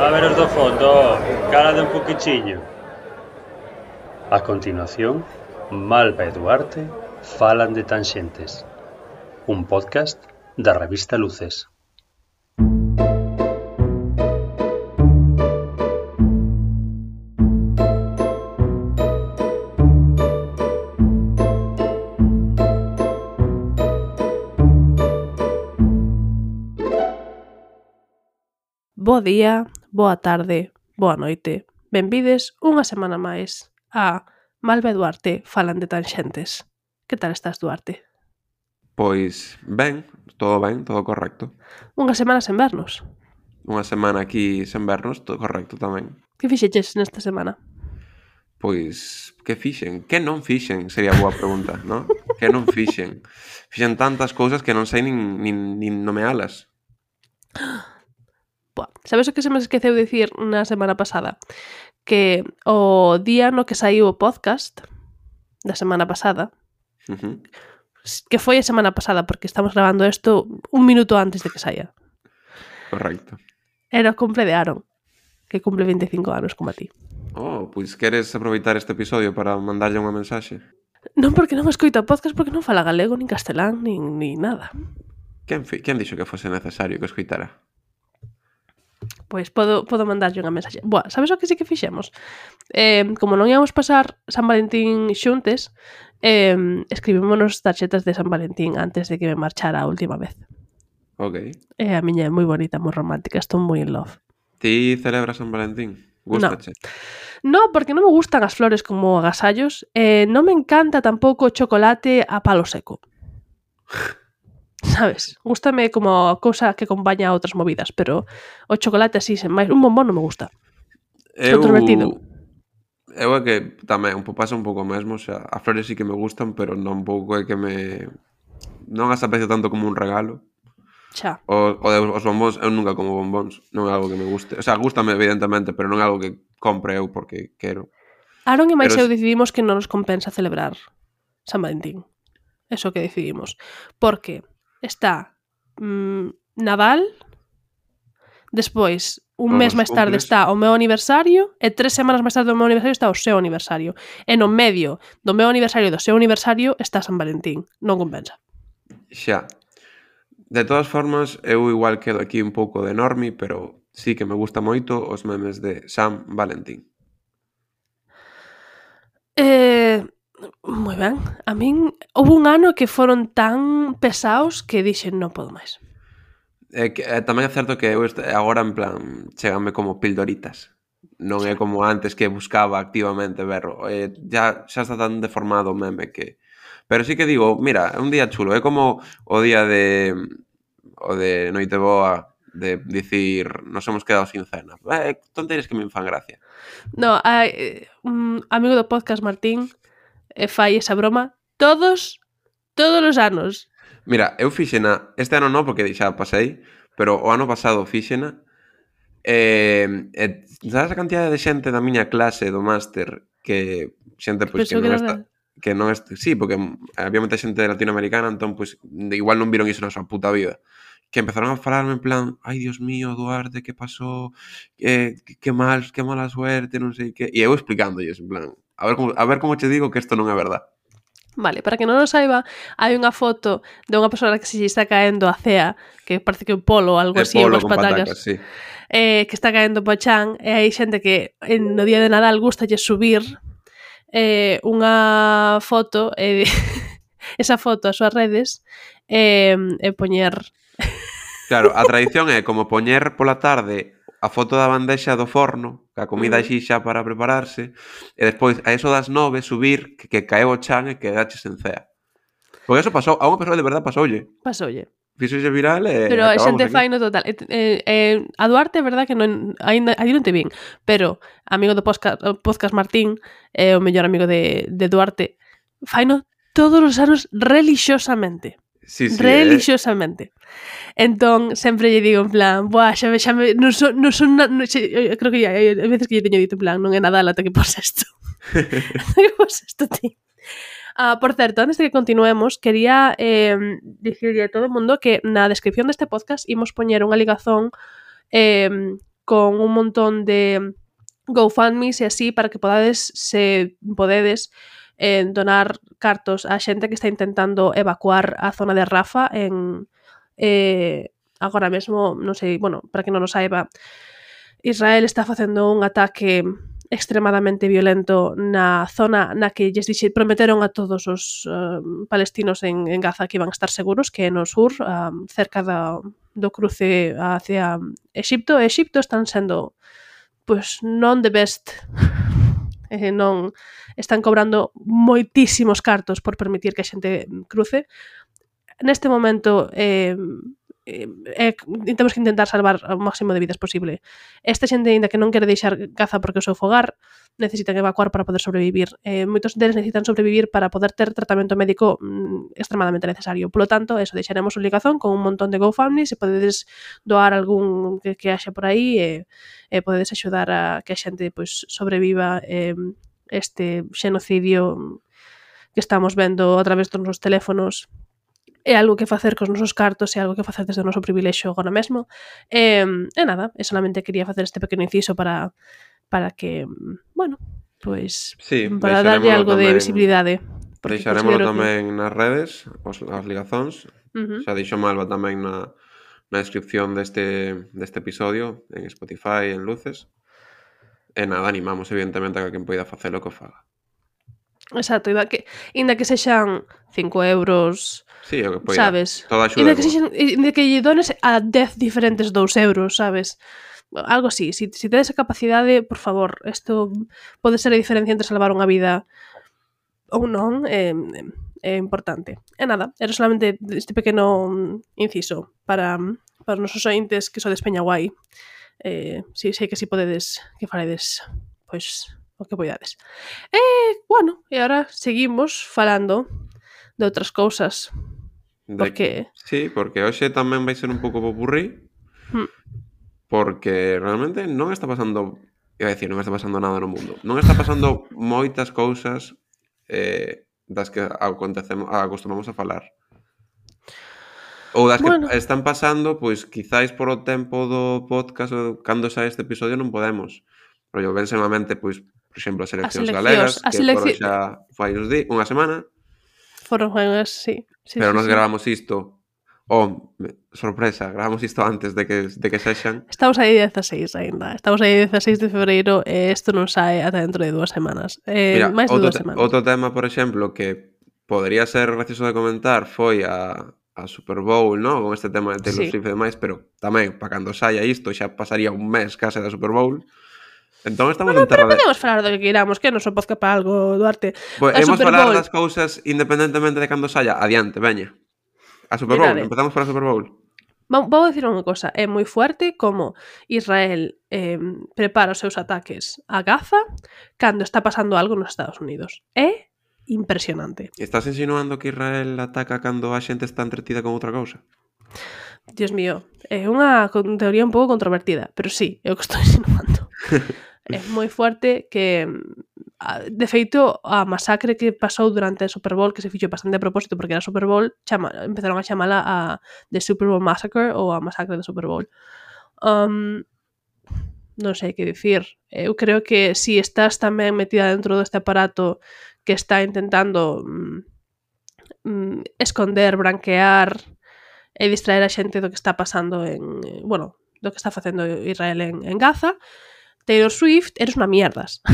A ver os do fondo, calade un poquichiño. A continuación, Malva e Duarte falan de Tanxentes, un podcast da revista Luces. Bo día, boa tarde, boa noite. Benvides unha semana máis a Malva e Duarte falan de Tanxentes. Que tal estás, Duarte? Pois ben, todo correcto. Unha semana sen vernos. Unha semana aquí sen vernos, todo correcto tamén. Que fixeches nesta semana? Pois, que fixen? Que non fixen? Sería a boa pregunta, non? Que non fixen? Fixen tantas cousas que non sei nin nomealas. Boa, sabes o que se me esqueceu dicir na semana pasada? Que o día no que saiu o podcast da semana pasada, que foi a semana pasada, porque estamos grabando isto un minuto antes de que saia. Correcto. Era o cumple de Aaron, que cumple 25 anos como a ti. Oh, pois queres aproveitar este episodio para mandarlle unha mensaxe? Non, porque non escoito o podcast, porque non fala galego, nin castelán, nin nada. Quen dixo que fose necesario que escoitara? Pois podo mandarlle unha mensaxe. Boa, sabes o que sí que fixemos? Como non íamos pasar San Valentín xuntes, escribímonos tarxetas de San Valentín antes de que me marchara a última vez. Ok. A miña é moi bonita, moi romántica, estou moi in love. Ti celebras San Valentín? Gústache? No, porque non me gustan as flores como agasallos, non me encanta tampouco o chocolate a palo seco. Sabes? Gústame como a cousa que acompaña a outras movidas, pero o chocolate así, sen máis, un bombón non me gusta. Controvertido. Eu é que tamén pasa un pouco mesmo, o sea, as flores sí que me gustan, pero non pouco é que me... Non as aprecio tanto como un regalo. Xa. Os bombóns, eu nunca como bombóns, non é algo que me guste. O sea, gústame evidentemente, pero non é algo que compre eu porque quero. Aaron e máis Pero eu decidimos que non nos compensa celebrar San Valentín. Eso que decidimos. Porque está Nadal, despois un mes máis tarde está o meu aniversario e 3 semanas máis tarde do meu aniversario está o seu aniversario. E no medio do meu aniversario e do seu aniversario está San Valentín. Non compensa. Xa. De todas formas, eu igual quedo aquí un pouco de normi, pero sí que me gusta moito os memes de San Valentín. Moi ben. A min houve un ano que foron tan pesados que dixen non podo máis. Tamén é certo que eu agora en plan cheganme como pildoritas. Non é como antes que buscaba activamente verlo. Ya está tan deformado o meme que... Pero sí que digo, mira, é un día chulo. É como o día de Noiteboa, de dicir nos hemos quedado sin cena. Tonterías que me fan gracia. No, un amigo do podcast, Martín, fai esa broma todos os anos. Mira, eu fixena, este ano non porque xa pasei, pero o ano pasado fixena. Sabes a cantidade de xente da miña clase do máster que xente pois que non está, sí, porque había moita xente latinoamericana, entón pois igual non viron iso na súa puta vida. Que empezaron a falarme en plan, ai, Dios mío, Duarte, que pasou? Que mala suerte, non sei que. E eu explicándolles, en plan, a ver como che digo que isto non é verdad. Vale, para que non o saiba, hai unha foto de unha persona que se está caendo a cea, que parece que o polo ou algo así, polo unhas con patacas, sí. Que está caendo po chan, e hai xente que no día de Nadal gustalle subir unha foto, esa foto ás súas redes, e poñer... Claro, a tradición é como poñer pola tarde a foto da bandexa do forno, ca comida així xa para prepararse, e despois a eso das 9 subir que caeu o chan e quedaches en cea. Porque eso pasou, a unha persoa de verdade pasoulle. Fixoxe viral e pero acabamos xente aquí. fai no total. A Duarte é verdade que non, aí non te vin, pero amigo do podcast Martín, o mellor amigo de Duarte, fai no todos os anos relixiosamente. Sí, relixiosamente. Entón, sempre lle digo en plan, buah, xa me non son creo que hai veces que lle teño dito en plan, non é Nadal ata que pos isto. Que pos isto, ti. Por certo, antes de que continuemos, quería dicirlle a todo o mundo que na descripción deste podcast imos poñer unha ligazón con un montón de GoFundMes e así para que podades, se podedes, donar cartos á xente que está intentando evacuar a zona de Rafah en agora mesmo, non sei, bueno, para que non o saiba, Israel está facendo un ataque extremadamente violento na zona na que lles prometeron a todos os palestinos en Gaza que iban a estar seguros, que é no sur, cerca do cruce hacia Exipto. Exipto están sendo pois non the best, non están cobrando moitísimos cartos por permitir que a xente cruce. Neste momento temos que intentar salvar o máximo de vidas posible. Esta xente, ainda que non quere deixar Gaza porque o seu fogar, necesitan evacuar para poder sobrevivir. Moitos deles necesitan sobrevivir para poder ter tratamento médico extremadamente necesario. Polo tanto, eso, deixaremos un ligazón con un montón de GoFundMe, se podedes doar algún que haxa por aí e podedes axudar a que a xente pois, sobreviva este xenocidio que estamos vendo a través dos nosos teléfonos. É algo que facer cos nosos cartos, é algo que facer desde o noso privilexio agora mesmo. E nada, solamente quería facer este pequeno inciso para que, bueno, pois sí, para darlle algo de visibilidade. Deixarémoslo tamén nas redes, as ligazóns. Xa dixo Malva tamén na descripción deste episodio, en Spotify, en Luces. E nada, animamos evidentemente a que quen poida facelo que o faga. Exacto, inda que sexan 5 euros, sí, o que poida, sabes? Toda axuda inda que lle dones a 10 diferentes 2 euros, sabes? Algo así, si tedes a capacidade, por favor, isto pode ser a diferencia entre salvar unha vida ou non, é importante. E nada, era solamente este pequeno inciso para os nosos ointes que sodes Peña Guai. Si sei que si podedes, que faredes, pois, o que poidades. Bueno, e agora seguimos falando de outras cousas. Porque... Sí, porque hoxe tamén vai ser un pouco popurrí. Porque realmente non está pasando... Iba a decir, non está pasando nada no mundo. Non está pasando moitas cousas das que acostumamos a falar. Ou das que están pasando, pois quizáis por o tempo do podcast ou cando sae este episodio non podemos. Pero yo vense mente, pois, por exemplo, as eleccións galegas, que foron xa fai unha semana. Foron unhas, sí. Pero nos gravamos isto, sorpresa, gravamos isto antes de que sexan. Estamos aí 16 ainda. Estamos aí 16 de febreiro e isto non sae ata dentro de 2 semanas. Mira, máis de 2 semanas. Outro tema, por exemplo, que podría ser gracioso de comentar foi a Super Bowl, ¿no? Con este tema de Taylor Swift e demais, pero tamén, para cando saia isto, xa pasaría un mes case da Super Bowl. Entón estamos en terra de... podemos falar do que queiramos, que non se podcast para algo, Duarte. Pues hemos falar das cousas independentemente de cando saia. Adiante, veña. A Super Bowl, empezamos por a Super Bowl. Vou dicir unha cosa, é moi fuerte como Israel prepara os seus ataques a Gaza cando está pasando algo nos Estados Unidos. É impresionante. Estás insinuando que Israel ataca cando a xente está entretida con outra cousa? Dios mío, é unha teoría un pouco controvertida, pero sí, é o que estou insinuando. É moi fuerte que, de feito, a masacre que pasou durante a Super Bowl, que se fixo bastante a propósito porque era Super Bowl, empezaron a chamala a The Super Bowl Massacre ou a masacre do Super Bowl. Non sei que dicir. Eu creo que si estás tamén metida dentro deste aparato que está intentando esconder, branquear e distraer a xente do que está pasando do que está facendo Israel en Gaza, Taylor Swift, eres unha mierdas.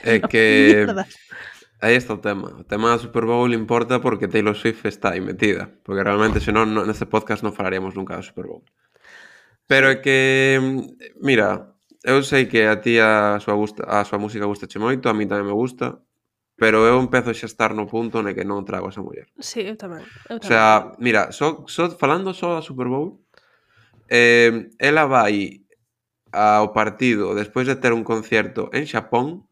É que aí está o tema. O tema da Super Bowl importa porque Taylor Swift está aí metida, porque realmente senón neste podcast non falaríamos nunca da Super Bowl. Pero é que, mira, eu sei que a ti a súa música gustache moito, a mí tamén me gusta, pero eu empezo xa a estar no punto ne que non trago a esa muller. Sí, eu tamén. O sea, mira, falando só da Super Bowl, ela vai ao partido despois de ter un concerto en Xapón.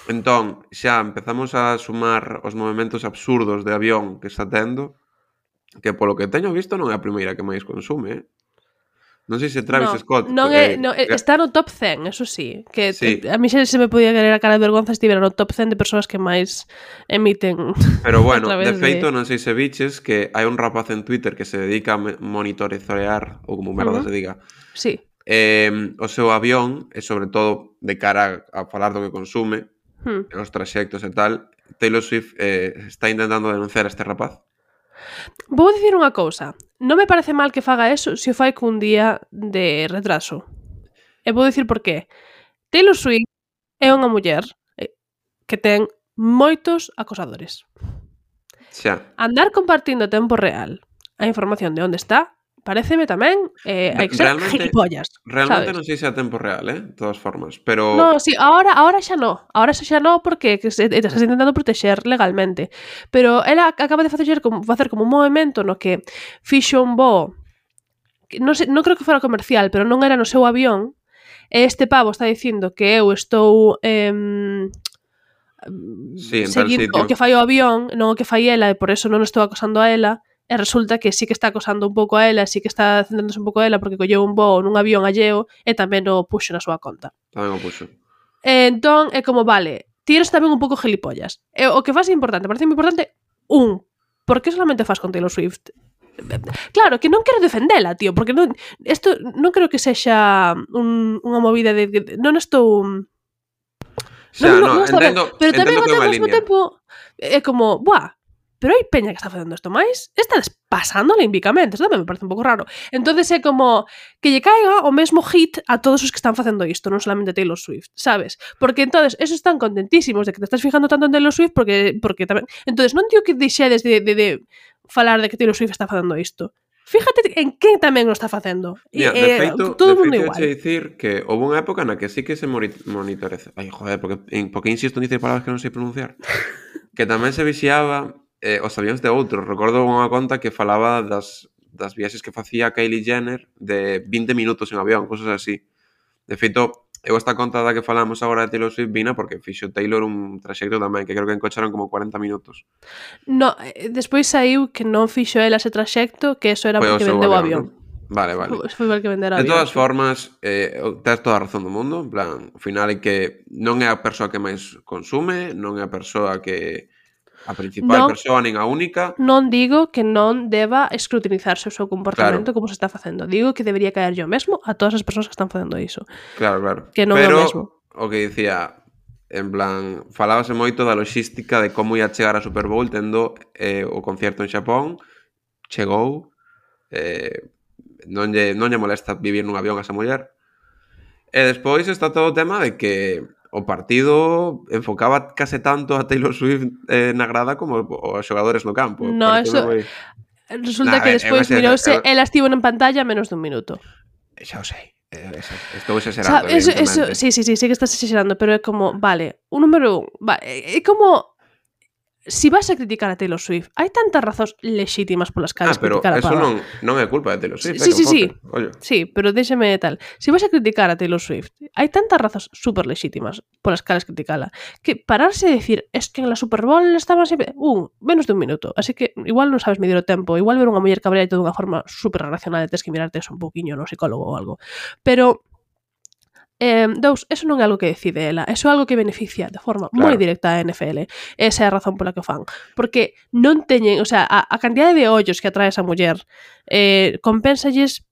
Entón, xa empezamos a sumar os movementos absurdos de avión que está tendo, que polo que teño visto non é a primeira que máis consume, Non sei se Travis Scott... está no top 100, eso sí. Que sí. A mí xa se me podía querer a cara de vergonza estivera no top 100 de persoas que máis emiten. Pero bueno, de feito, non sei se biches que hai un rapaz en Twitter que se dedica a monitorear, ou como merda se diga, sí. O seu avión, e sobre todo de cara a falar do que consume, os traxectos e tal. Taylor Swift está intentando denunciar a este rapaz. Vou dicir unha cousa. Non me parece mal que faga eso se o fai cun día de retraso. E vou dicir por qué. Taylor Swift é unha muller que ten moitos acosadores. Xa. Andar compartindo a tempo real a información de onde está pareceme tamén hai que ser gilipollas. Realmente sabes? Non sei se a tempo real, de todas formas, pero... No, sí, ahora xa no. Ahora xa no porque estás intentando protexer legalmente. Pero ela acaba de facer como un movimento no que fixo un voo, non creo que fora comercial, pero non era no seu avión, e este pavo está dicindo que eu estou seguindo o que fai o avión, non o que fai ela, e por eso non estou acosando a ela. E resulta que sí que está acosando un pouco a ela, sí que está centrándose un pouco a ela porque colleu un voo nun avión alleo e tamén o puxo na súa conta. Tamén o puxo. Entón, é como, vale, ti eres tamén un pouco gilipollas. E o que faz é importante, parece moi importante, por que solamente faz con Taylor Swift? Claro, que non quero defendela, tío, porque isto non creo que sexa unha movida de non estou... Non, entendo, pero tamén entendo que é unha ao mesmo línea. tempo é como, buah, pero hai peña que está facendo isto máis, está pasando limpicamente, isto tamén me parece un pouco raro. Entonces é como que lle caiga o mesmo hit a todos os que están facendo isto, non solamente Taylor Swift, sabes? Porque entonces esos están contentísimos de que te estás fijando tanto en Taylor Swift porque tamén... Entonces non digo que deixedes de falar de que Taylor Swift está facendo isto. Fíjate en quen tamén o está facendo. De feito, todo o mundo igual. Dicir que houve unha época na que sí que se monitoreza. Ai, joder, porque insisto en dicir palabras que non sei pronunciar. Que tamén se vixiaba os avións de outros. Recordo unha conta que falaba das viaxes que facía Kylie Jenner de 20 minutos en avión, cosas así. De feito, eu esta conta da que falamos agora de Taylor Swift vina porque fixo Taylor un traxecto tamén, que creo que encocharon como 40 minutos. No, despois saiu que non fixo ela ese traxecto, que eso era porque vendeu o avión. ¿no? Vale. Foi porque vender o avión. De todas formas, tens toda a razón do mundo. En plan, ao final é que non é a persoa que máis consume, non é a persoa que... a principal persoa, nin a única. Non digo que non deba escrutinizarse o seu comportamento como se está facendo. Digo que debería caer yo mesmo a todas as persoas que están facendo iso. Claro. Que non é o mesmo. O que dicía, en plan, falábase moito da logística de como ia chegar a Super Bowl tendo o concierto en Xapón, chegou, non lle molesta vivir nun avión a esa muller. E despois está todo o tema de que o partido enfocaba case tanto a Taylor Swift na grada como os xogadores no campo. No, eso... Resulta que despois mirouse, ela estivo en pantalla menos dun minuto. Xa o sei. Estou exagerando. Eso, sí que estás exagerando, pero é como, vale, un número 1, é como... Si vas a criticar a Taylor Swift, hai tantas razóns lexítimas polas cales criticar a pava. Pero eso non é culpa de Taylor Swift. Sí, pero déxeme tal. Si vas a criticar a Taylor Swift, hai tantas razóns super lexítimas polas cales criticala, que pararse a decir, es que en la Super Bowl estaba sempre... menos dun minuto. Así que igual non sabes medir o tempo, igual ver unha muller cabrea de toda unha forma super racional e tens que mirarte eso un pouquiño no psicólogo ou algo. Pero... eso non é algo que decide ela, eso é algo que beneficia de forma moi directa a NFL. Esa é a razón pola que fan, porque non teñen, o sea, a cantidade de ollos que atrae esa muller compénsalles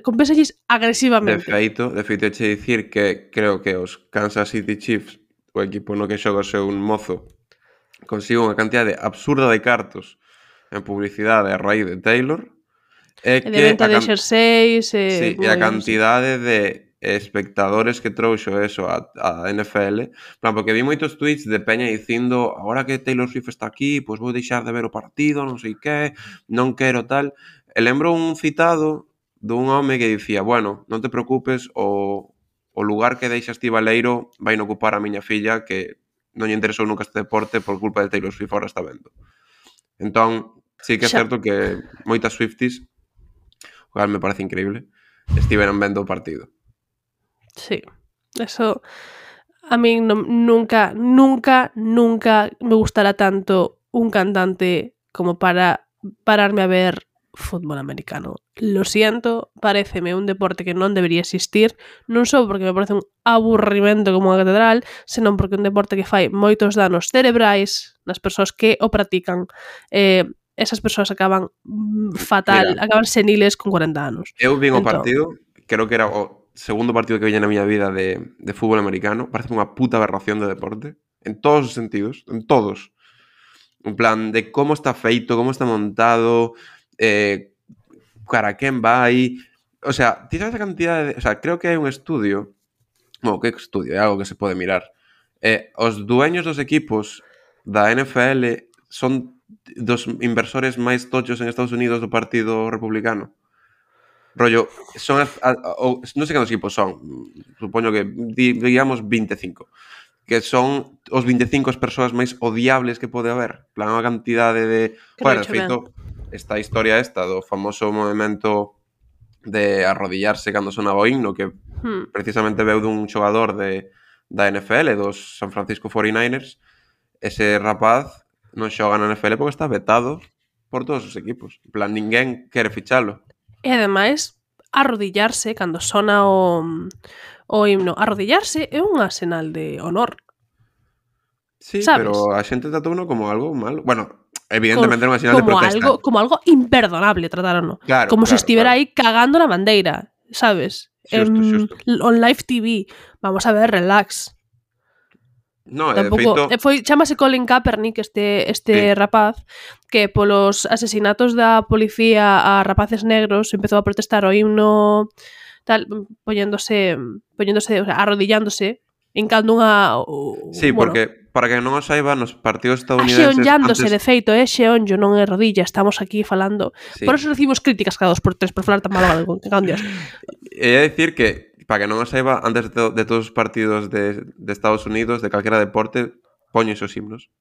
compénsalles agresivamente. De feito, che dicir que creo que os Kansas City Chiefs, o equipo no que xoga o seu mozo, consigue unha cantidade absurda de cartos en publicidade a raíz de Taylor, e de venta de xerseis, e a cantidade de espectadores que trouxo eso a NFL, plan, porque vi moitos tweets de peña dicindo, agora que Taylor Swift está aquí, pois vou deixar de ver o partido, non sei que, non quero tal. E lembro un citado dun home que dicía, bueno, non te preocupes, o lugar que deixas ti baleiro vai non ocupar a miña filla, que non lle interesou nunca este deporte por culpa de Taylor Swift, ahora está vendo. Entón, sí que é certo que moitas Swifties, o cual me parece increíble, estiveron vendo o partido. Sí, eso a mí nunca me gustará tanto un cantante como para pararme a ver fútbol americano. Lo siento, paréceme un deporte que non debería existir, non só porque me parece un aburrimento como a catedral, senón porque é un deporte que fai moitos danos cerebrais nas persoas que o practican. Esas persoas acaban fatal, Mira, acaban seniles con 40 anos. Eu vin o Entón, partido, creo que era o segundo partido que vi na miña vida de fútbol americano, parece unha puta aberración de deporte, en todos os sentidos, en todos. En plan, de como está feito, como está montado, cara quen vai... O sea, ti sabes a cantidad de... O sea, creo que hai un estudio... Bueno, que estudio? É algo que se pode mirar. Os dueños dos equipos da NFL son dos inversores máis tochos en Estados Unidos do Partido Republicano. Rollo, son non sei cantos equipos son, supoño que digamos 25, que son os 25 as persoas máis odiables que pode haber. Plan, unha cantidade de... Joder, de feito, esta historia do famoso movimento de arrodillarse cando sonaba o himno, que precisamente veu dun xogador da NFL, dos San Francisco 49ers. Ese rapaz non xoga na NFL porque está vetado por todos os equipos. En plan, ninguén quere fichalo. E ademais, arrodillarse cando sona o himno. Arrodillarse é unha sinal de honor. Sí, ¿sabes? Pero a xente tatouno como algo malo. Bueno, evidentemente era unha señal de protesta. Como algo imperdonable trataron, claro, como se estivera claro. aí cagando na bandeira, sabes? Xusto. On live TV. Vamos a ver, relax. No, tampouco, de feito... chamase Colin Kaepernick este Sí. rapaz que polos asesinatos da policía a rapaces negros empezou a protestar o himno tal, poñéndose, o sea, arrodillándose hincando unha... Sí, bueno, porque, para que non o saiba, nos partidos estadounidenses... Axeonllándose, de feito, xeonllo, non é rodilla, estamos aquí falando. Sí. Por eso recibimos críticas cada 2x3 por falar tan malo galego, que cago en Dios. É dicir que, para que non o saiba, antes de todos os partidos de Estados Unidos, de calquera deporte, poñen os himnos.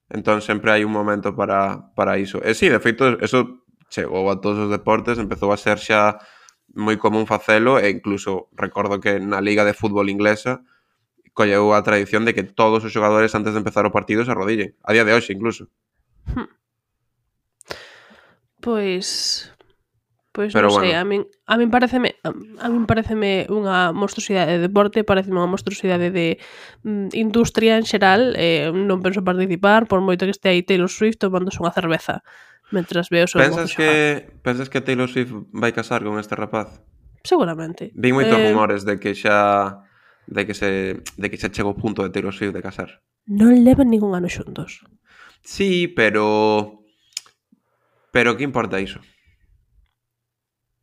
Entón sempre hai un momento para iso. E sí, de feito, eso chegou a todos os deportes, empezou a ser xa moi común facelo, e incluso recordo que na Liga de Fútbol inglesa colleu a tradición de que todos os xogadores antes de empezar o partido se arrodillen. A día de hoxe, incluso. Pois Pero non sei, bueno. a min pareceme unha monstruosidade de deporte, pareceme unha monstruosidade de industria en xeral, non penso participar, por moito que este aí Taylor Swift tomándose unha cerveza mentras veo o seu mozo xogar. Pensas que Taylor Swift vai casar con este rapaz? Seguramente. Vi moitos rumores de que xa chegou o punto de Taylor Swift de casar. Non levan ningún ano xuntos. Sí, pero que importa iso?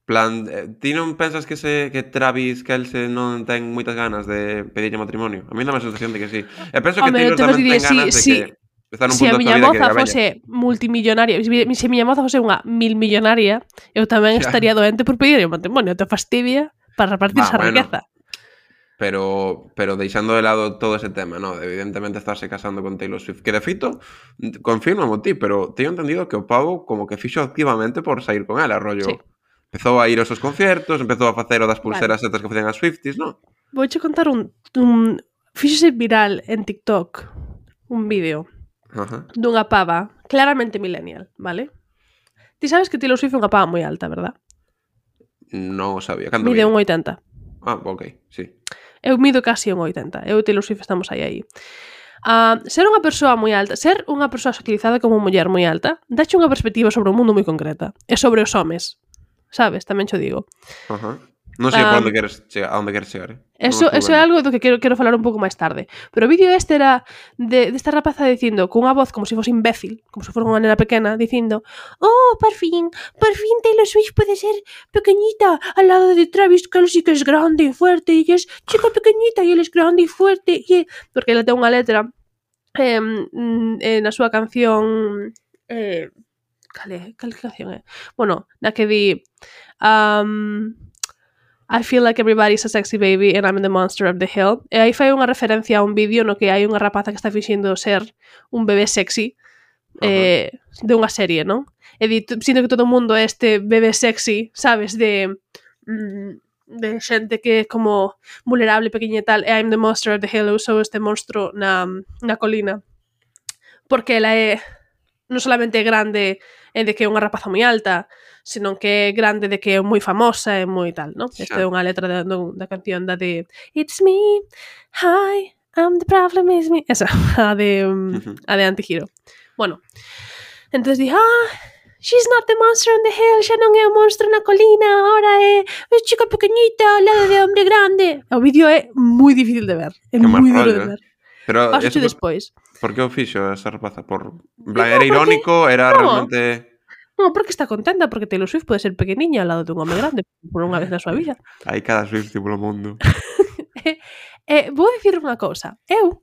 Plan, ti non pensas que Travis Kelce non ten moitas ganas de pedirlle matrimonio? A mí dá a sensación de que sí. E penso que Taylor tamén ten ganas de que está nun punto da súa vida que a miña moza fose multimillonaria, se a miña moza fose unha milmillonaria, eu tamén estaría doente por pedirlle matrimonio, te fastidia para repartirse a riqueza. Pero deixando de lado todo ese tema, ¿no? Evidentemente estarse casando con Taylor Swift, que de feito, confírmamo ti, pero teño entendido que o pavo como que fixo activamente por sair con ela, rollo. Sí. Empezou a ir aos seus conciertos, empezou a facer o das pulseras estas que facían as Swifties, ¿no? Vouche contar fíxose viral en TikTok un vídeo dunha pava claramente millennial, vale? Ti sabes que Taylor Swift é unha pava moi alta, verdad? Non o sabía. Canto mide 1,80. Ah, ok, sí. Eu mido casi 1,80. Eu e Taylor Swift estamos aí. Ser unha persoa moi alta, ser unha persoa socializada como muller moi alta, dache unha perspectiva sobre o mundo moi concreta. E sobre os homes. Sabes? Tamén xo digo. Non sei por onde queres chegar, Eso é algo do que quero falar un pouco máis tarde. Pero o vídeo este era desta rapaza dicindo, con unha voz como se fose imbécil, como se fose unha nena pequena, dicindo por fin Taylor Swift pode ser pequeñita al lado de Travis Kelce, que es grande e fuerte, e es chica pequeñita e él es grande e fuerte, porque ela ten unha letra na súa canción cal canción é? Bueno, na que di I feel like everybody's a sexy baby and I'm the monster of the hill. E aí fai unha referencia a un vídeo no que hai unha rapaza que está finxindo ser un bebé sexy de unha serie, non? E sinto que todo o mundo é este bebé sexy, sabes, de xente que é como vulnerable, pequeña e tal, e I'm the monster of the hill, eu sou este monstro na colina. Porque ela é non solamente é grande de que é unha rapaza moi alta, senón que é grande de que é moi famosa e moi tal, non? Esta é unha letra da canción da de It's me, hi, I'm the problem is me. Esa, a de Antihero. Bueno, entonces di, she's not the monster on the hill, xa non é o monstro na colina, ahora é chica pequeñita ao lado de hombre grande. O vídeo é moi difícil de ver, é moi duro de ver. Pero paso despois. Por que o fixo esa rapaza? Era irónico? Era realmente... Non, porque está contenta, porque Taylor Swift pode ser pequeniña ao lado dun home grande por unha vez na súa vida. Hai cada Swift polo mundo. Vou dicir unha cousa. Eu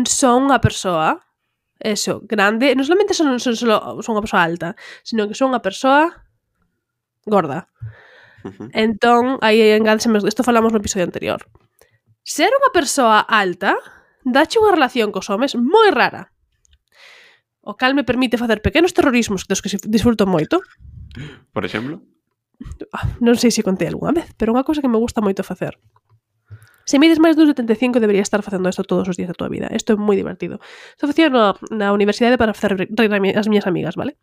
son unha persoa grande, non solamente son unha persoa alta, sino que son unha persoa gorda. Entón, aí engádeseme, isto falamos no episodio anterior. Ser unha persoa alta dache unha relación cos homes moi rara. O cal me permite facer pequenos terrorismos dos que disfruto moito. Por exemplo? Non sei se contei algunha vez, pero unha cousa que me gusta moito facer. Se mides máis dun 75 debería estar facendo isto todos os días da tua vida. Isto é moi divertido. Isto facía na universidade para facer reír as miñas amigas, vale?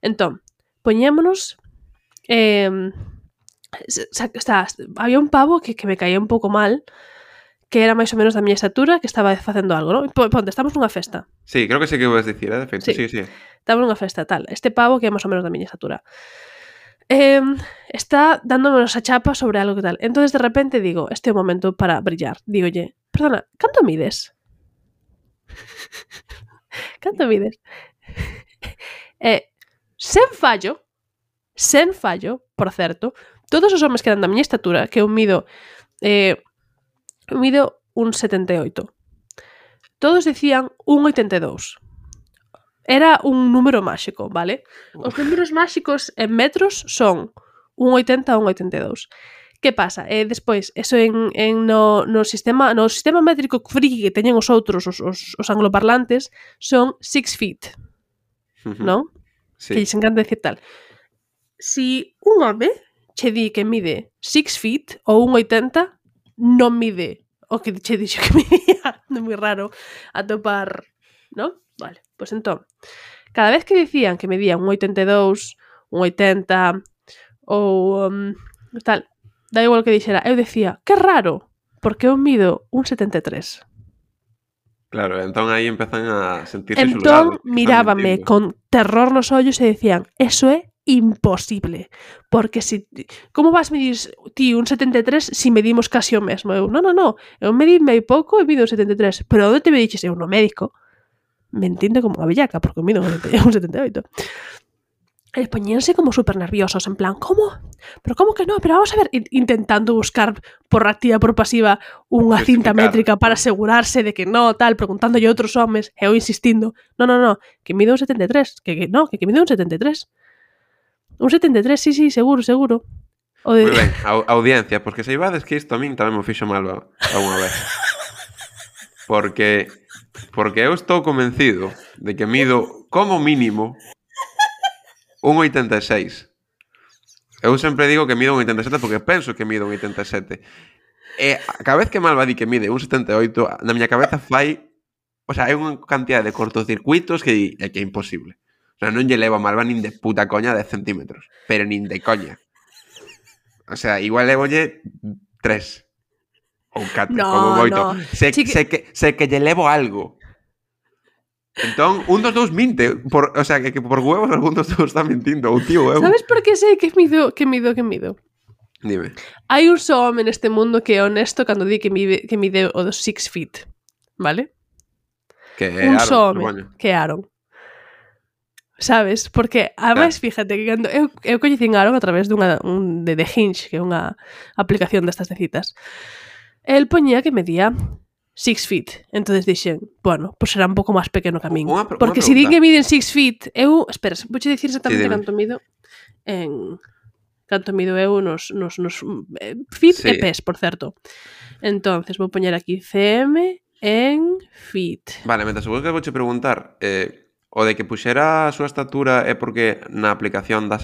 Entón, poñémonos... había un pavo que me caía un pouco mal, que era máis ou menos da miña estatura, que estaba facendo algo, non? Ponte, estamos nunha festa. Sí, creo que sei que vas dicir, de feito. Sí. Estamos nunha festa, tal. Este pavo que é máis ou menos da miña estatura. Está dándonos a chapa sobre algo que tal. Entonces de repente digo, este é o momento para brillar. Dígolle, perdona, canto mides? Canto mides? Sen fallo, por certo, todos os homes que dan da miña estatura, que eu mido 1,78. Todos decían 1,82. Era un número máxico, vale? Os números máxicos en metros son 1,80 a 1,82. Que pasa? Despois, eso no sistema métrico friki que teñen os outros, os angloparlantes, son 6 feet. Non? Sí. Que lles encanta decir tal. Si un home che di que mide 6 feet ou 1,80, non mide o que che dixo que midía. Non é moi raro atopar, non? Vale, pois entón, cada vez que dicían que medían 1,82, 1,80 ou tal, da igual que dixera, eu decía, que raro, porque eu mido 1,73. Claro, entón aí empezan a sentirse xulgados. Entón mirábame con terror nos ollos e decían, eso é imposible, porque como vas medir ti un 73 si medimos casi o mesmo? Eu, non, eu medime pouco e mido un 73, pero onde te me diches? Eu no médico. Me entiende como unha bellaca, porque mido un 78. E poñíanse como super nerviosos, en plan, como? Pero como que no? Pero vamos a ver, intentando buscar por activa, por pasiva, unha cinta métrica para asegurarse de que no, tal, preguntándolle a outros homes, e eu insistindo, no, que mido un 73, que mido un 73. Un 73, sí, seguro. Moi ben, audiencia, porque se ibades que isto a min tamén me fixo mal unha vez. Porque eu estou convencido de que mido como mínimo 1,86. Eu sempre digo que mido 1,87 porque penso que mido 1,87. E cada vez que Malva di que mide 1,78, na miña cabeza fai... O sea, hai unha cantidad de cortocircuitos que é imposible. O sea, non lle levo a Malva nin de puta coña 10 centímetros. Pero nin de coña. O sea, igual levolle 3. Ou 4, como moito. Sé que lle levo algo. Entón, un dos dous minte. O sea, que por huevos algún dos dous está mentindo. Ou tío, eu. Sabes por que sei que mido? Dime. Hai un só home neste mundo que é honesto cando di que mide o dos 6 feet. Vale? Que é un Aaron, só home, que é Aaron. Sabes? Porque, ademais, fíjate que cando eu coñecín Aaron a través de The Hinge, que é unha aplicación destas de citas. El poñía que medía 6 feet. Entonces dixen, bueno, pues será un pouco máis pequeno que a min. Porque se di que miden 6 feet, eu... Espera, vouche dicir exactamente canto mido eu nos feet e pes, por certo. Entonces, vou poñer aquí cm en feet. Vale, mentre seguro que vouche preguntar... O de que puxera a súa estatura é porque na aplicación dá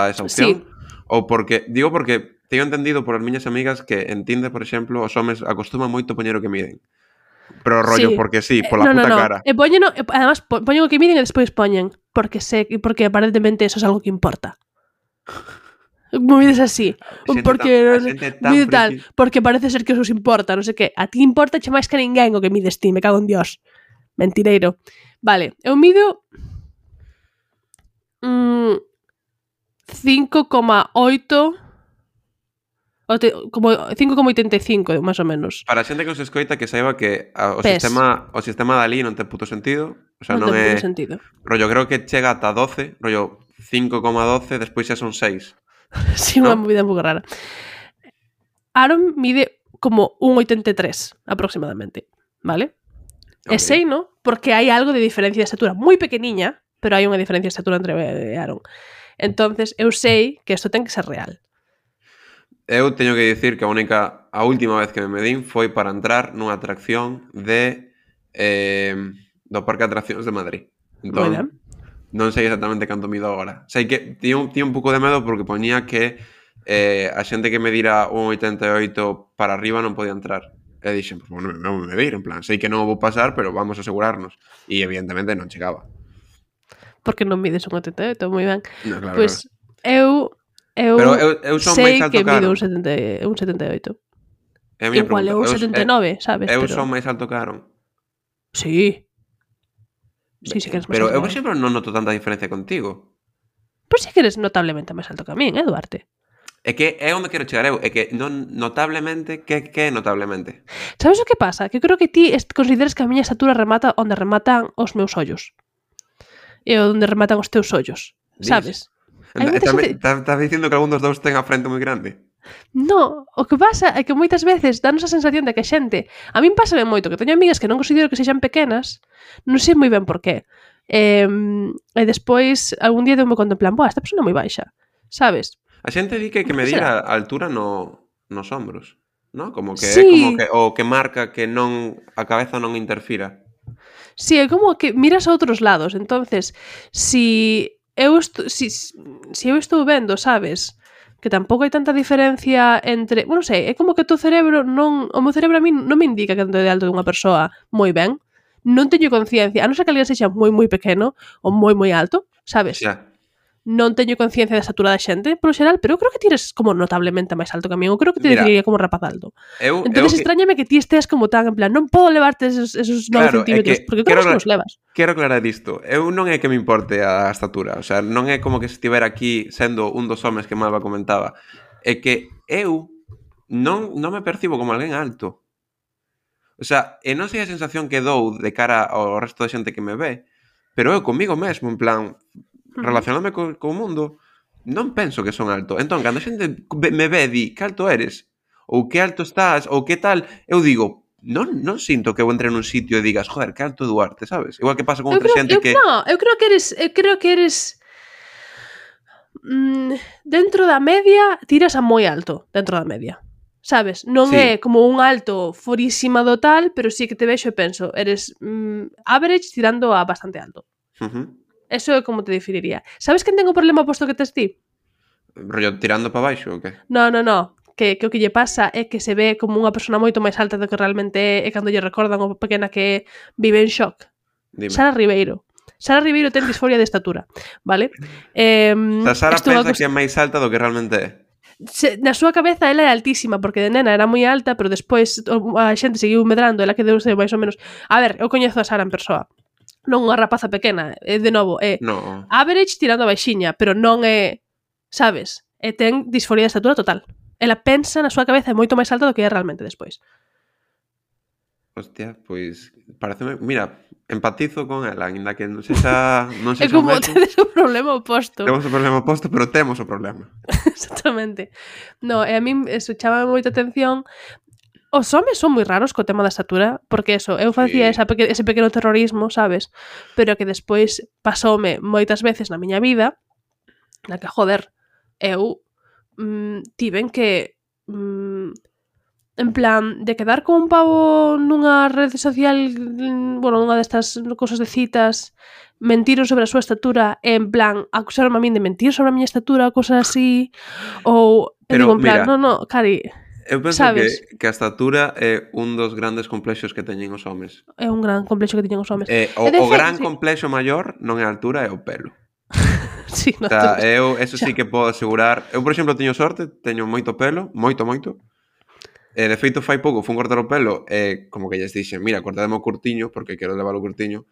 esa opción? Sí. Ou porque... Digo porque teño entendido por as miñas amigas que en Tinder, por exemplo, os homes acostuman moito poñer o que miden. Pero rollo, porque sí, pola puta cara. E poñeno, además, poñen o que miden e despois poñen porque aparentemente eso es algo que importa. Movides así. Porque mide tal, porque parece ser que eso os importa, non sei que. A ti importa che máis que a ninguén o que mides ti, me cago en Dios. Mentireiro. Vale, eu mido 5,8 como 5,85 máis ou menos. Para a xente que os escoita que saiba que o sistema Dalí non ten puto sentido. O sea, non ten é puto sentido. Rollo, creo que chega ata 12, rollo 5,12, despois xa son 6. Sí, unha movida un pouco rara. Aaron mide como 1,83 aproximadamente, ¿vale? Okay. E sei, ¿no? Porque hai algo de diferencia de estatura moi pequeniña, pero hai unha diferencia de estatura entre Aaron. Entonces, eu sei que isto ten que ser real. Eu teño que dicir que a última vez que me medín foi para entrar nunha atracción do Parque de Atraccións de Madrid. Entón, non sei exactamente canto mido agora. Sei que tiña un pouco de medo porque poñía que a xente que medira 1,88 para arriba non podía entrar. E dixen, pues, bueno, non me medir, en plan, sei que non o vou pasar, pero vamos a asegurarnos. E evidentemente non chegaba. Porque non mides 1,88, moi ben. No, claro, pues claro. Eu son sei máis alto que mido un 78. Igual é un 79, sabes? Eu son máis alto que Aaron. Sí. Sí, que eres máis pero alto. Eu, por exemplo, non noto tanta diferencia contigo. Pero sí que eres notablemente máis alto que a min, Duarte? É que é onde quero chegar eu. É que non notablemente, que é notablemente? Sabes o que pasa? Que creo que ti consideras que a miña estatura remata onde rematan os meus ollos. E onde rematan os teus ollos. Sabes? Estás dicindo que algún dos dous ten a frente moi grande? No, o que pasa é que moitas veces danos a sensación de que a xente, a min pásame moito que teño amigas que non considero que sexan pequenas, non sei moi ben por qué. E despois algún día deu-me conto en plan, esta persona é moi baixa, sabes? A xente di que medir a altura nos hombros, ¿no? Como que sí. É como que o que marca que non a cabeza non interfira. Sí, é como que miras a outros lados, entonces, si eu estou vendo, sabes, que tampouco hai tanta diferencia entre... Bueno, sei, é como que o teu cerebro non... O meu cerebro a mí non me indica canto de alto dunha persoa moi ben. Non teño conciencia, a non ser que alguén sexa moi moi pequeno ou moi moi alto, sabes? Xa. Non teño conciencia da estatura da xente, polo xeral, pero eu creo que ti eres como notablemente máis alto que a mí. Eu creo que te diría como rapaz alto. Entón, extrañame que ti estés como tan, en plan, non podo levarte esos 9 centímetros, porque claro que os levas. Quero aclarar isto. Eu non é que me importe a estatura, o sea, non é como que se estivera aquí sendo un dos homes que Malva comentaba. É que eu non me percibo como alguén alto. O sea, e non sei a sensación que dou de cara ao resto da xente que me ve, pero eu comigo mesmo, en plan... relacionándome co mundo, non penso que son alto. Entón, cando a xente me ve e di que alto eres, ou que alto estás, ou que tal, eu digo, non sinto que eu entre nun sitio e digas, joder, que alto Duarte, sabes? Igual que pasa con outra xente que... No, eu creo que eres dentro da media, tiras a moi alto dentro da media. Sabes? Non é como un alto forísima do tal, pero sí que te vexo e penso, eres average tirando a bastante alto. Eso é como te definiría. Sabes quen ten o problema posto que tes ti? Rollo tirando para baixo ou que? No. Que o que lle pasa é que se ve como unha persona moito máis alta do que realmente é, e cando lle recordan o pequena que vive en shock. Dime. Sara Ribeiro ten disforia de estatura, vale? Sara pensa que é máis alta do que realmente é. Na súa cabeza ela é altísima, porque de nena era moi alta, pero despois a xente seguiu medrando, ela que deuse máis ou menos... A ver, eu coñezo a Sara en persoa. Non unha rapaza pequena, de novo, é average tirando a baixiña, pero non é, sabes, e ten disforia de estatura total. Ela pensa na súa cabeza é moito máis alta do que é realmente despois. Hostia, pois pareceme, mira, empatizo con ela, ainda que non sexa é como tedes o problema oposto. Temos o problema oposto, pero temos o problema. Exactamente. No, e a min eso chama moita atención. Os homes son moi raros co tema da estatura, porque eso, eu facía ese pequeno terrorismo, sabes? Pero que despois pasoume moitas veces na miña vida, na que, joder, eu tiven que en plan, de quedar con un pavo nunha rede social, bueno, nunha destas cosas de citas, mentiron sobre a súa estatura, e en plan, acusaron a min de mentir sobre a miña estatura, cosas así, ou, digo, en plan, no, Cari... Eu penso sabes? que a estatura é un dos grandes complexos que teñen os homes. É un gran complexo que tiñen os homes. O gran complexo maior non é a altura, é o pelo. Sí, O sea, eu eso sí que podo asegurar. Eu, por exemplo, teño sorte, teño moito pelo, moito. De feito, fai pouco fun cortar o pelo e como que lles dixen, mira, cortademe o curtiño, porque quero levar o curtiño.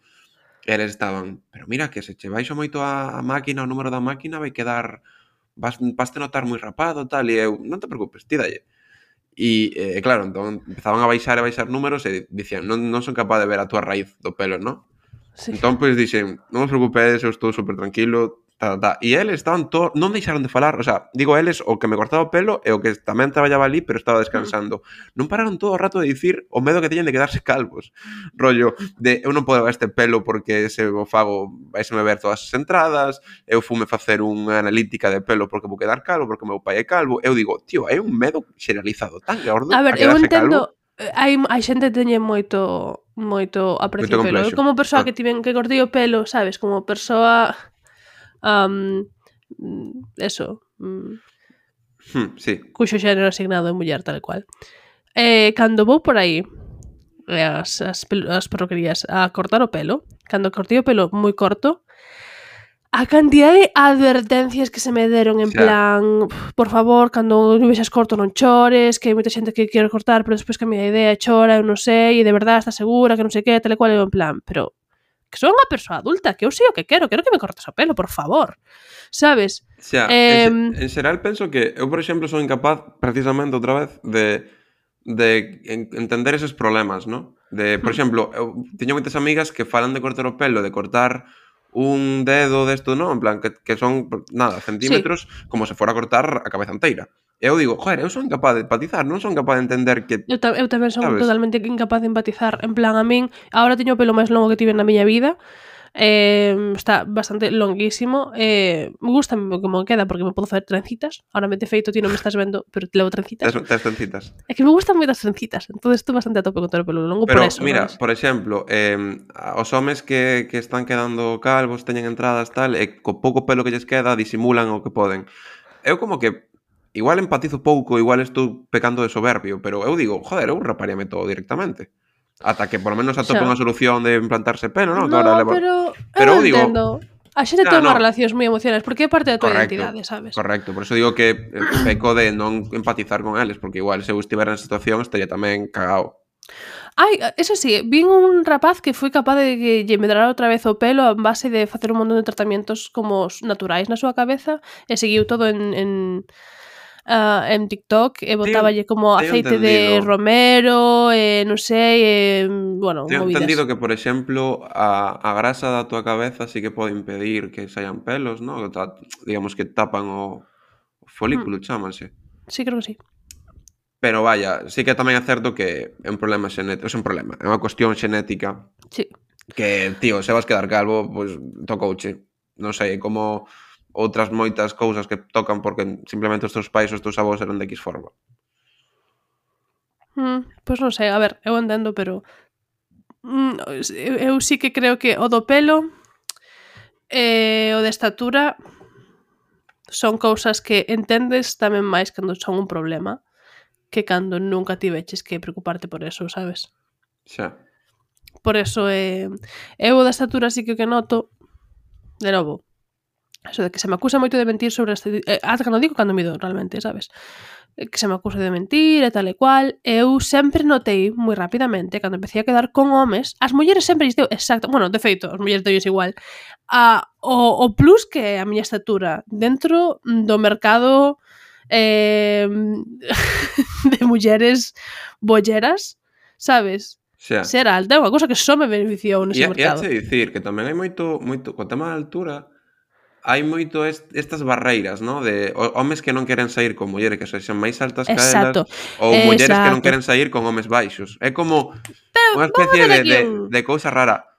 E eles estaban, pero mira que se che baixo moito a máquina, o número da máquina vai quedar, vaste notar moi rapado, tal, e eu, non te preocupes, ti dalle. E claro, entón empezaban a baixar números e dicían, non son capaz de ver a túa raíz do pelo, non? Sí. Entón, pois, dixen, non vos preocupedes, eu estou super tranquilo, E eles estaban todos, non deixaron de falar, o sea, digo eles, o que me cortaba o pelo e o que tamén traballaba ali, pero estaba descansando. Non pararon todo o rato de dicir o medo que teñen de quedarse calvos. Rollo, de eu non podo levar este pelo porque se o fago vaiseme ver todas as entradas, eu fume facer unha analítica de pelo porque vou quedar calvo, porque o meu pai é calvo. Eu digo, tío, hai un medo xeralizado tan gordo A ver, a eu quedarse entendo, calvo. hai xente que teñe moito aprecio ao pelo. Eu como persoa que tiven que cortei o pelo, sabes, como persoa eso, sí. cuxo xénero asignado é muller tal cual. Cando vou por aí as perruquerías a cortar o pelo, cando cortei o pelo moi corto, a cantidad de advertencias que se me deron en plan, por favor, cando vexas corto non chores, que hai moita xente que quere cortar, pero despois cambia de idea e chora, eu non sei, e de verdade estás segura, que non sei que, tal e cual, eu en plan, pero que sou unha persoa adulta, que eu sei o que quero que me cortes o pelo, por favor. Sabes? En xeral penso que eu, por exemplo, son incapaz precisamente outra vez de entender eses problemas, ¿no? Por exemplo, eu teño moitas amigas que falan de cortar o pelo, de cortar un dedo desto, non? En plan, que son, nada, centímetros, como se fora a cortar a cabeza inteira. E eu digo, joder, eu son incapaz de empatizar, non son capaz de entender que... Eu tamén son totalmente incapaz de empatizar. En plan, a min, agora teño o pelo máis longo que tive na miña vida, está bastante longuísimo, me gusta como queda porque me podo facer trencitas. Ahora me te feito, ti non me estás vendo, pero te levo trencitas. Tes trencitas. É que me gustan moito as trencitas, entón estou bastante a tope con todo o pelo longo, pero, por eso. Mira, ¿sabes? Por exemplo, os homes que están quedando calvos, teñen entradas tal, e co pouco pelo que lles queda disimulan o que poden. Eu como que igual empatizo pouco, igual estou pecando de soberbio, pero eu digo, joder, eu raparíame todo directamente. Ata que por lo menos atope unha solución de implantarse pelo, non? No, pero eu entendo. A xente ten unhas relacións moi emocionais, porque é parte da tua identidade, sabes? Correcto, por eso digo que peco de non empatizar con eles, porque igual se eu estivera na situación estaría tamén cagao. Ai, eso sí, vin un rapaz que foi capaz de que lle medrara outra vez o pelo a base de facer un montón de tratamientos como naturais na súa cabeza e seguiu todo en TikTok e botáballe como aceite de romero e non sei, bueno, Tengo movidas. entendido que, por exemplo, a grasa da tua cabeza sí que pode impedir que saian pelos, ¿no? Digamos que tapan o folículo, chámase. Sí, creo que sí. Pero vaya, sí que tamén é certo que é un problema xenético, é unha cuestión xenética. Sí. Que, tío, se vas quedar calvo, pois tocouche. Non sei, como outras moitas cousas que tocan porque simplemente os teus pais, os teus avós eran de X forma. Pois non sei, a ver, eu entendo, pero eu sí que creo que o do pelo e o de estatura son cousas que entendes tamén máis cando son un problema que cando nunca tiveches que preocuparte por eso, sabes? Xa. Por eso eu da estatura sí que o que noto, de novo, eso de que se me acusa moito de mentir sobre ata cando digo cando mido realmente, sabes? Que se me acusa de mentir e tal e cual. Eu sempre notei moi rapidamente cando empecé a quedar con homes, as mulleres sempre deu exacto, bueno, de feito, as mulleres deu igual. O plus que a miña estatura dentro do mercado de mulleres bolleras, sabes? Xa. Ser alta é unha cousa que só me beneficiou nese mercado. E dicir que tamén hai moito co tema da altura, hai moito estas barreiras, ¿no? De homes que non queren sair con mulleres que sexan máis altas que elas, ou mulleres que non queren sair con homes baixos. É como unha especie de cousa rara.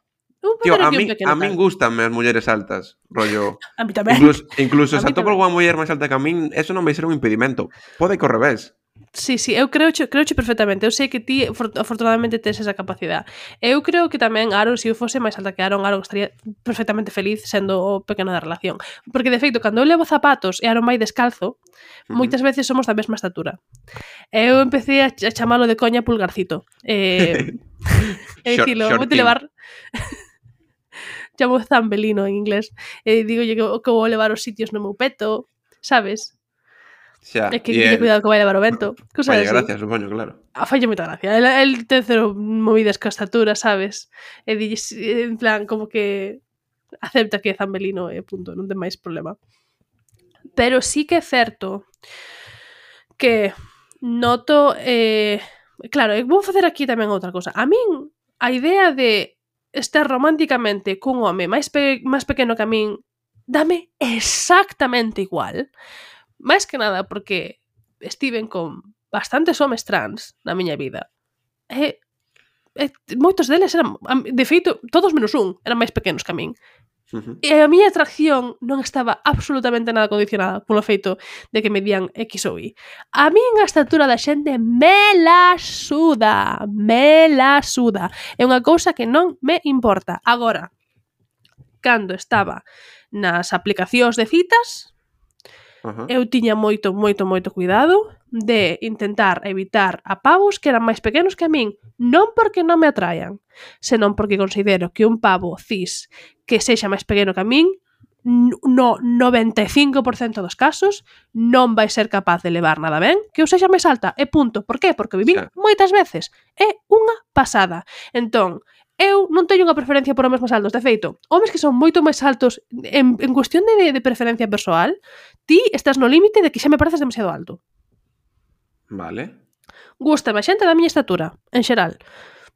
Tío, a min gustan as mulleres altas, rollo. A mí tamén. Incluso se atopo algunha muller máis alta que a min, eso non vai ser un impedimento. Pode que ao revés. Sí, eu creoche perfectamente. Eu sei que ti afortunadamente tes esa capacidade. Eu creo que tamén Aaron, se eu fose máis alta que Aaron estaría perfectamente feliz sendo o pequeno da relación. Porque, de feito, cando eu levo zapatos e Aaron vai descalzo, moitas veces somos da mesma estatura. Eu empecé a chamalo de coña pulgarcito. E dicilo, vou te levar... Chamo zambelino en inglés. E digolle que vou levar os sitios no meu peto, sabes? Xa, É que teña cuidado que vai levar o vento. Falle gracia, supoño, claro. Falle moita gracia. El ten cero movidas ca estatura, sabes? E dille, en plan, como que acepta que é zambelino e punto, non ten máis problema. Pero sí que é certo que noto... claro, vou facer aquí tamén outra cosa. A min, a idea de estar románticamente cun home máis pequeno que a min dame exactamente igual. Máis que nada porque estiven con bastantes homes trans na miña vida. E moitos deles eran, de feito, todos menos un, eran máis pequenos que a min. E a miña atracción non estaba absolutamente nada condicionada polo feito de que me dían X ou Y. A min a estatura da xente me la suda. É unha cousa que non me importa. Agora, cando estaba nas aplicacións de citas, eu tiña moito cuidado de intentar evitar a pavos que eran máis pequenos que a min, non porque non me atrayan, senón porque considero que un pavo cis que sexa máis pequeno que a min, no 95% dos casos, non vai ser capaz de levar nada ben que eu sexa máis alta, e punto. Por qué? Porque vivín moitas veces. É unha pasada. Entón, eu non teño unha preferencia por homes máis altos. De feito, homes que son moito máis altos en cuestión de preferencia persoal, ti estás no límite de que xa me pareces demasiado alto. Vale. Gústame a xente da miña estatura, en xeral.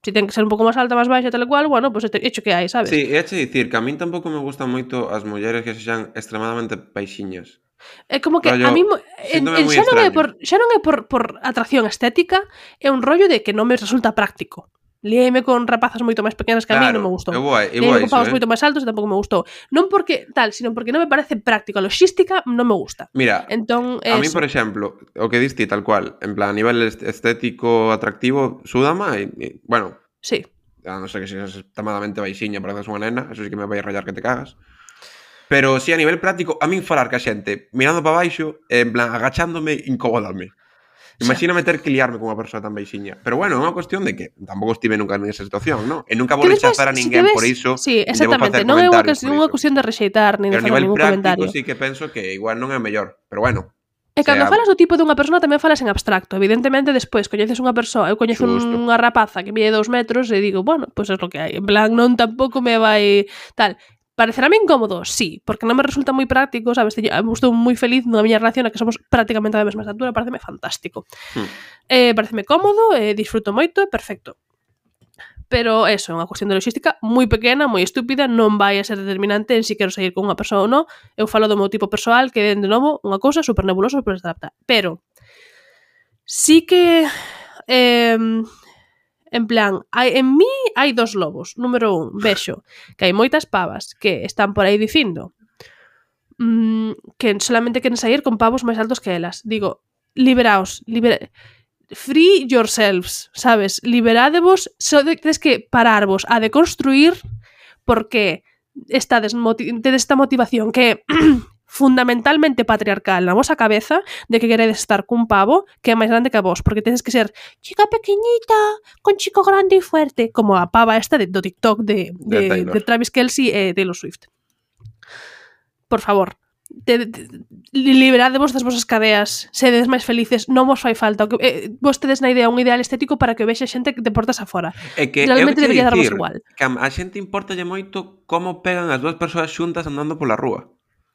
Se ten que ser un pouco máis alta, máis baixa, tal e cual, bueno, pues hecho que hai, sabes? Sí, é che dicir que a min tampouco me gustan moito as mulleres que sexan extremadamente baixiñas. É como que a mí xa non é por atracción estética, é un rollo de que non me resulta práctico. Liéime con rapazas moito máis pequenas que a mí non me gustou. Liéime con pavos moito máis altos e tampouco me gustou. Non porque tal, sino porque non me parece práctico. A logística non me gusta. Mira, entón, a mí, por exemplo, o que diste tal cual, en plan, a nivel estético atractivo, súdama e bueno, sí. A non ser que seas extremadamente baixiña para que seas unha nena, eso sí que me vai a rayar que te cagas. Pero si a nivel práctico, a min falar ca xente mirando para baixo, en plan, agachándome, incomódame. Imagíname ter que liarme con unha persoa tan baixiña. Pero bueno, é unha cuestión de que tampouco estive nunca nesa situación, non? E nunca vou rechazar a ninguén por iso. Sí, exactamente. Non é unha cuestión de rexeitar, nin de facer ningún comentario. Pero a nivel práctico sí que penso que igual non é mellor. Pero bueno. E cando falas do tipo dunha persona tamén falas en abstracto. Evidentemente, despois coñeces unha persoa, eu coñezo unha rapaza que mide 2 metros e digo, bueno, pois é lo que hai. En plan, non tampouco me vai tal... Parecerame incómodo? Sí, porque non me resulta moi práctico, sabes? Estou moi feliz na miña relación a que somos prácticamente da mesma estatura, pareceme fantástico. Pareceme cómodo, disfruto moito, perfecto. Pero eso, é unha cuestión de logística moi pequena, moi estúpida, non vai a ser determinante en si quero seguir con unha persoa ou non. Eu falo do meu tipo persoal, que é, de novo, unha cousa super nebulosa, super adapta. Pero, sí que... en plan, en mí hai dos lobos. Número 1, vexo que hai moitas pavas que están por aí dicindo que solamente queren sair con pavos máis altos que elas. Digo, liberaos, free yourselves, sabes? Liberádevos, tedes que pararvos a deconstruir porque tedes esta motivación que fundamentalmente patriarcal na vosa cabeza de que queredes estar cun pavo que é máis grande que a vos, porque tedes que ser chica pequeñita con chico grande e fuerte, como a pava esta do TikTok de Travis Kelce e Taylor Swift. Por favor, liberadevos das vosas cadeas, sedes máis felices, non vos fai falta. Vos tedes na idea un ideal estético para que vexa xente que te portas afora. É que realmente debería darvos igual. Que a xente importalle moito como pegan as dúas persoas xuntas andando pola rúa.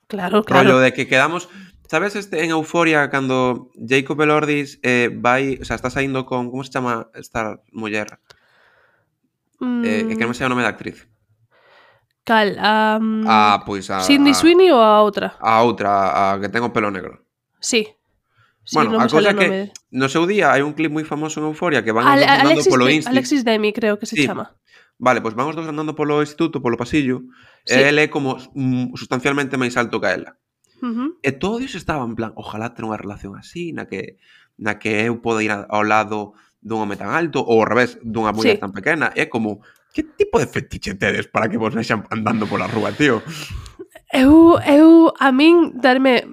Claro. Rollo de que quedamos... Sabes en Euforia cando Jacob Elordi vai... O sea, está saindo con... Como se chama esta muller? Que non me sei o nome da actriz. Cal? Pois a... Sydney Sweeney ou a outra? A outra, a que ten o pelo negro. Sí. Bueno, a cousa que no seu día hai un clip moi famoso en Euforia que van os dos andando polo instituto. Alexis Demi, creo que se chama. Vale, pois van os dos andando polo instituto, polo pasillo, e ele é como sustancialmente máis alto que ela. E todo Dios estaba en plan, ojalá ter unha relación así, na que eu poda ir ao lado dun home tan alto, ou ao revés, dunha muller tan pequena. É como, que tipo de fetiche tedes para que vos vexan andando pola rúa, tío? A min darme...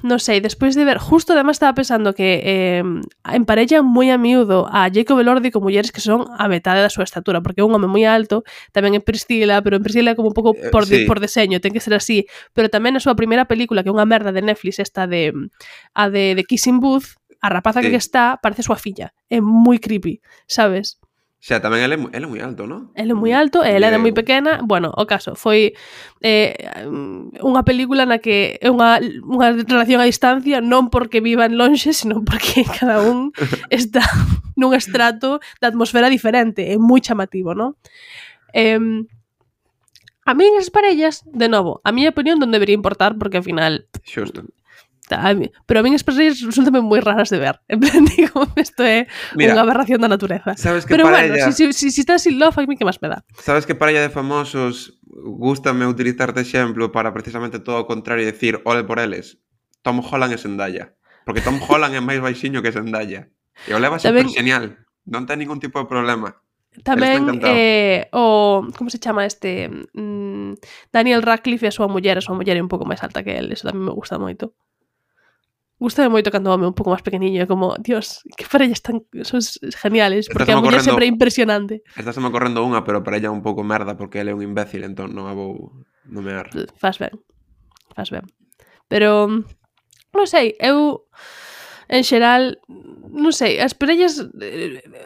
Non sei, despois de ver... Justo, además, estaba pensando que emparellan moi a miúdo a Jacob Elordi con mulleres que son a metade da súa estatura, porque é un home moi alto, tamén en Priscila, pero en Priscila é como un pouco por deseño, ten que ser así. Pero tamén na súa primeira película, que é unha merda de Netflix, esta de Kissing Booth, a rapaza que está parece súa filla. É moi creepy, sabes? Xa, tamén ele é moi alto, non? Ele é moi alto, e ela era moi pequena. Bueno, o caso, foi unha película na que é unha relación a distancia, non porque vivan lonxe, sino porque cada un está nun estrato de atmosfera diferente. É moi chamativo, non? A min as parellas, de novo, a miña opinión non debería importar, porque ao final... Xusto. Pero a min as parellas resultan moi raras de ver. En plan, digo, isto é unha aberración da natureza. Sabes que pero parella... bueno, si estás in love, a mí que máis me dá. Sabes que parella de famosos gústame utilizar de exemplo para precisamente todo o contrario e decir, ole por eles, Tom Holland e Zendaya. Porque Tom Holland é máis baixiño que Zendaya. E o leva super genial. Non ten ningún tipo de problema. Tamén como se chama este Daniel Radcliffe e a súa muller é un pouco máis alta que el. Eso tamén me gusta moito. Gústame moito cando o home un pouco máis pequeniño, como, Dios, que parellas son geniales, porque a muller sempre é impresionante. Estás me correndo unha, pero para ella un pouco merda, porque ele é un imbécil, entón non a vou nomear. Fas ben. Pero, non sei, eu, en xeral, non sei, as parellas,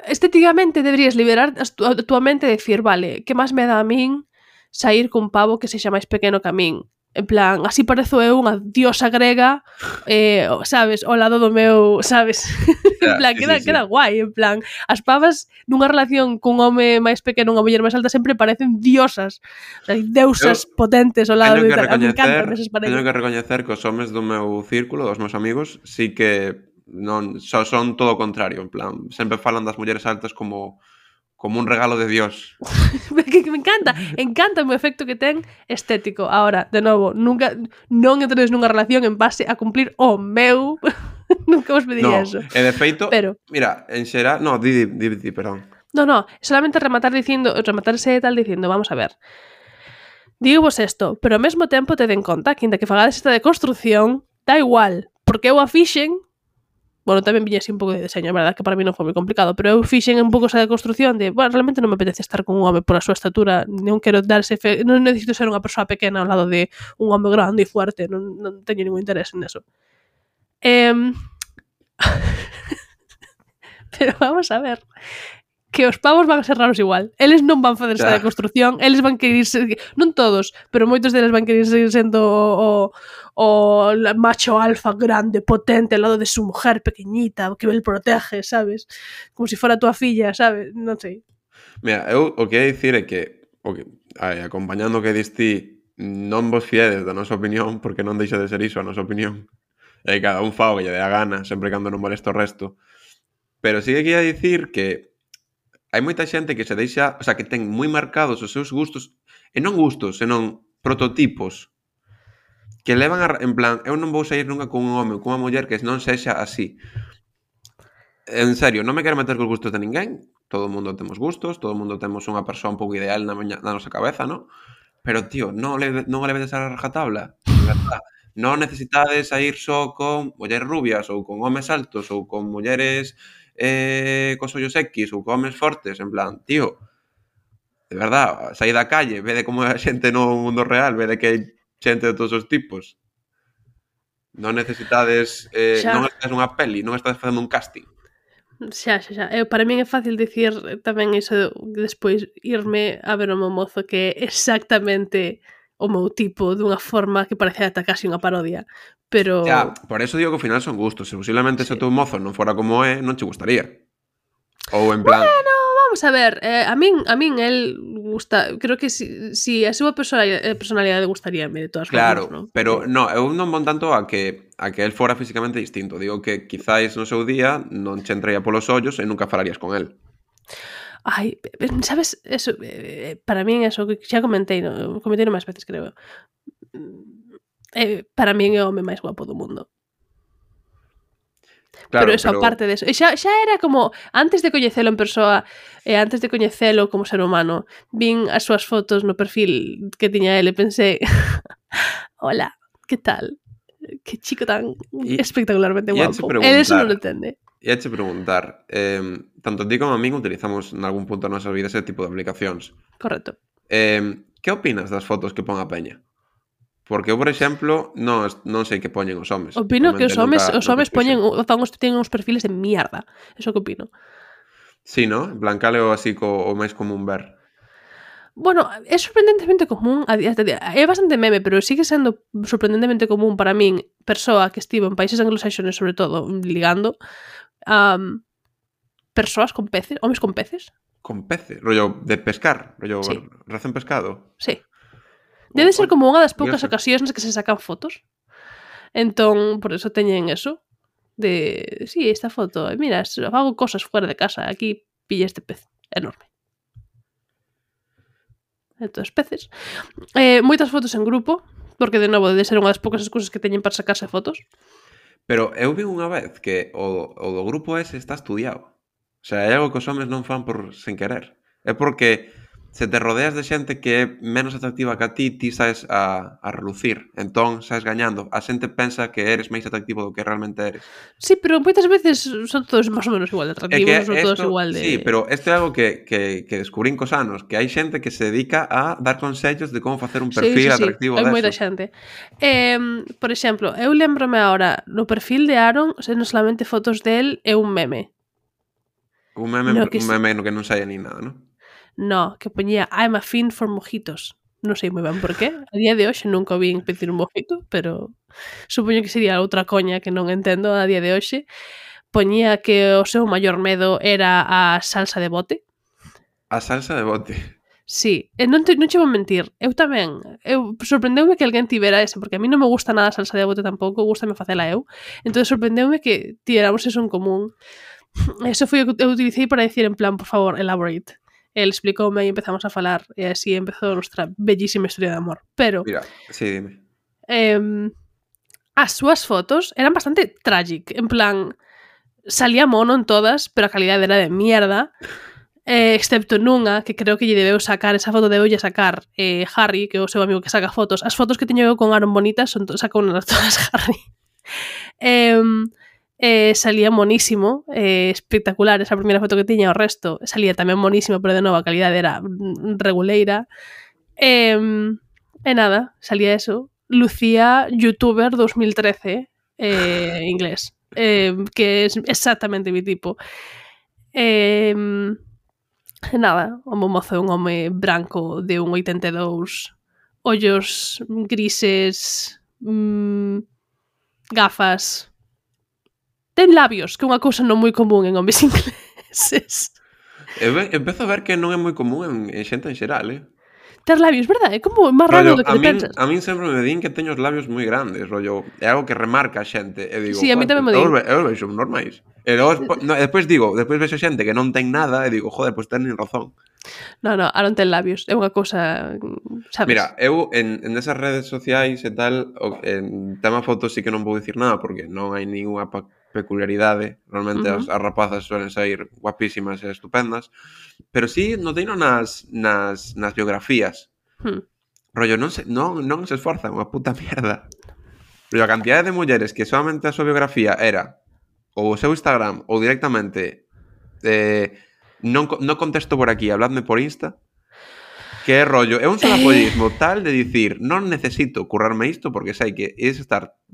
estéticamente deberías liberar a túa mente e decir, vale, que máis me dá a min sair cun pavo que sexa máis pequeno que a min? En plan, así parezo eu unha diosa grega, sabes, ao lado do meu, sabes? En plan, queda guai, en plan, as pavas nunha relación cun home máis pequeno, unha muller máis alta, sempre parecen diosas, o sea, deusas potentes ao lado de tal. Me encantan esas parellas. Teño que recoñecer que os homes do meu círculo, dos meus amigos, sí que non son todo o contrario, en plan, sempre falan das mulleres altas como un regalo de Dios. Que me encanta o efecto que ten estético. Ahora, de novo, nunca non entres nunha relación en base a cumplir o meu. Nunca vos pediría eso. E de feito, mira, en xeral, di, perdón. No, solamente rematarse tal dicindo, vamos a ver. Digo vos isto, pero ao mesmo tempo te den conta que inda que fagades esta deconstrucción, da igual, porque eu a fixen. Bueno, tamén viña así un pouco de deseño, verdad, que para mí non foi moi complicado, pero eu fixen un pouco esa deconstrucción de, bueno, realmente non me apetece estar con un home por a súa estatura, non quero non necesito ser unha persoa pequena ao lado de un home grande e fuerte, non teño ningún interés en eso. Pero vamos a ver, que os pavos van a ser raros igual. Eles non van fazer esta deconstrucción, eles van querer ser, non todos, pero moitos deles van querer seguir sendo o macho alfa grande, potente, ao lado de su mujer pequeñita, que el protege, sabes? Como se fora tua filla, sabes? Non sei. Mira, eu o que hai dicir é que, acompañando o que diste, non vos fiedes da nosa opinión, porque non deixa de ser iso a nosa opinión. E cada un fa o que lle dé a gana, sempre cando non molesta o resto. Pero sí que quería dicir que hai moita xente que se deixa, o sea, que ten moi marcados os seus gustos, e non gustos, senón prototipos, que levan en plan, eu non vou sair nunca con un home ou con unha muller que non sexa así. En serio, non me quero meter cos gustos de ninguén, todo o mundo temos gustos, todo o mundo temos unha persoa un pouco ideal na nosa cabeza, non? Pero, tío, non o levedes a rajatabla, de verdad. Non necesitades sair só con mulleres rubias ou con homes altos ou con mulleres cos ollos X ou con homes fortes, en plan, tío, de verdad, saí da calle, vede como é a xente no mundo real, vede que hai xente de todos os tipos. Non necesitades, non estás nunha peli, non estás facendo un casting. Xa. Para min é fácil dicir tamén iso, despois irme a ver o meu mozo que é exactamente o meu tipo, dunha forma que parece ata casi unha parodia. Pero... Ya, por eso digo que ao final son gustos. Se posiblemente se o teu mozo non fora como é, non che gustaría. Ou en plan... Bueno, vamos a ver, a min el gusta, creo que si a súa personalidade gustaríame de todas formas, ¿no? Pero no, eu non von tanto a que el fora físicamente distinto. Digo que quizáis no seu día non che entraría polos ollos e nunca falarías con el. Ai, sabes, eso, para min eso, que xa comentei máis veces, creo. para min é o home máis guapo do mundo. Claro, pero eso, aparte de eso, xa era como antes de coñecelo en persoa e antes de coñecelo como ser humano, vin as súas fotos no perfil que tiña ele e pensei hola, que tal? Que chico tan espectacularmente guapo. Él eso non lo entende. E heche preguntar, tanto ti como a min utilizamos en algún punto da nosa vida ese tipo de aplicacións. Correcto. Que opinas das fotos que pon a peña? Porque eu, por exemplo, non sei que poñen os homes. Opino que os homes teñen uns perfiles de mierda. Eso que opino. Sí, ¿no? En plan, cal é o así o máis común ver? Bueno, é sorprendentemente común, é bastante meme, pero sigue sendo sorprendentemente común para min, persoa que estivo en países anglosaxones, sobre todo, ligando, persoas con peces, homes con peces. Con peces? Rollo de pescar? Rollo sí. Recén pescado? Sí. Debe ser como unha das poucas ocasións nas que se sacan fotos. Entón, por eso teñen eso. De, sí, esta foto, mira, hago cosas fuera de casa, aquí pilla este pez enorme. Entón, peces. Moitas fotos en grupo, porque de novo debe ser unha das poucas excusas que teñen para sacarse fotos. Pero eu vi unha vez que o do grupo ese está estudiado. O sea, é algo que os homes non fan por sen querer. É porque se te rodeas de xente que é menos atractiva que a ti sabes a relucir. Entón, sabes gañando. A xente pensa que eres máis atractivo do que realmente eres. Sí, pero moitas veces son todos máis ou menos igual de atractivos, son todos igual de... Sí, pero isto é algo que descubrín cos anos, que hai xente que se dedica a dar consellos de como facer un perfil atractivo deso. Hai moita xente. Por exemplo, eu lembrome agora, no perfil de Aaron, non solamente fotos del é un meme. Un meme no que non saia ni nada, non? No, que poñía I'm a fiend for mojitos. Non sei moi ben por qué. A día de hoxe nunca o vin pedir un mojito, pero supoño que sería outra coña que non entendo a día de hoxe. Poñía que o seu maior medo era a salsa de bote. A salsa de bote? Sí, non che vou mentir. Eu tamén. Sorprendeume que alguén tivera ese, porque a mí non me gusta nada a salsa de bote tampouco, gustame facela eu. Entón sorprendeume que tiráramos eso en común. Eso foi o que eu utilicei para dicir en plan, por favor, elaborate. El explicoume e empezamos a falar e así empezou a nosa bellísima historia de amor. Pero, mira, sí, dime. As súas fotos eran bastante tragic. En plan, salía mono en todas, pero a calidade era de mierda. Excepto nunha, que creo que lle debeu sacar, esa foto debeulle sacar Harry, que é o seu amigo que saca fotos. As fotos que teño eu con Aaron bonitas sacou unhas todas Harry. Salía monísimo, espectacular esa primeira foto que tiña, o resto salía tamén monísimo, pero de novo a calidade era reguleira. E nada, salía eso. Lucía youtuber 2013 inglés, que é exactamente mi tipo. Nada, o mozo é un home branco de un 82, ollos grises, gafas. Ten labios, que é unha cousa non moi común en homes ingleses. Empezo a ver que non é moi común en xente en xeral, Ter labios, verdade? É como máis raro do que te pensas. A min sempre me din que teño os labios moi grandes, rollo, é algo que remarca a xente. E digo, sí, a mí tamén me din. Eu vexo normais. E despois vexo xente que non ten nada e digo, joder, pois teñen razón. No, Aaron ten labios, é unha cousa, sabes? Mira, eu en esas redes sociais e tal, en tema fotos sí que non vou dicir nada, porque non hai ninguna peculiaridade. Realmente as rapazas suelen sair guapísimas e estupendas, pero sí noteino nas biografías. Rollo, non se esforzan, unha puta mierda. Rollo, a cantidade de mulleres que solamente a súa biografía era ou o seu Instagram ou directamente non contesto por aquí, habladme por Insta, que é rollo, é un solapollismo tal de dicir, non necesito currarme isto porque sei que ides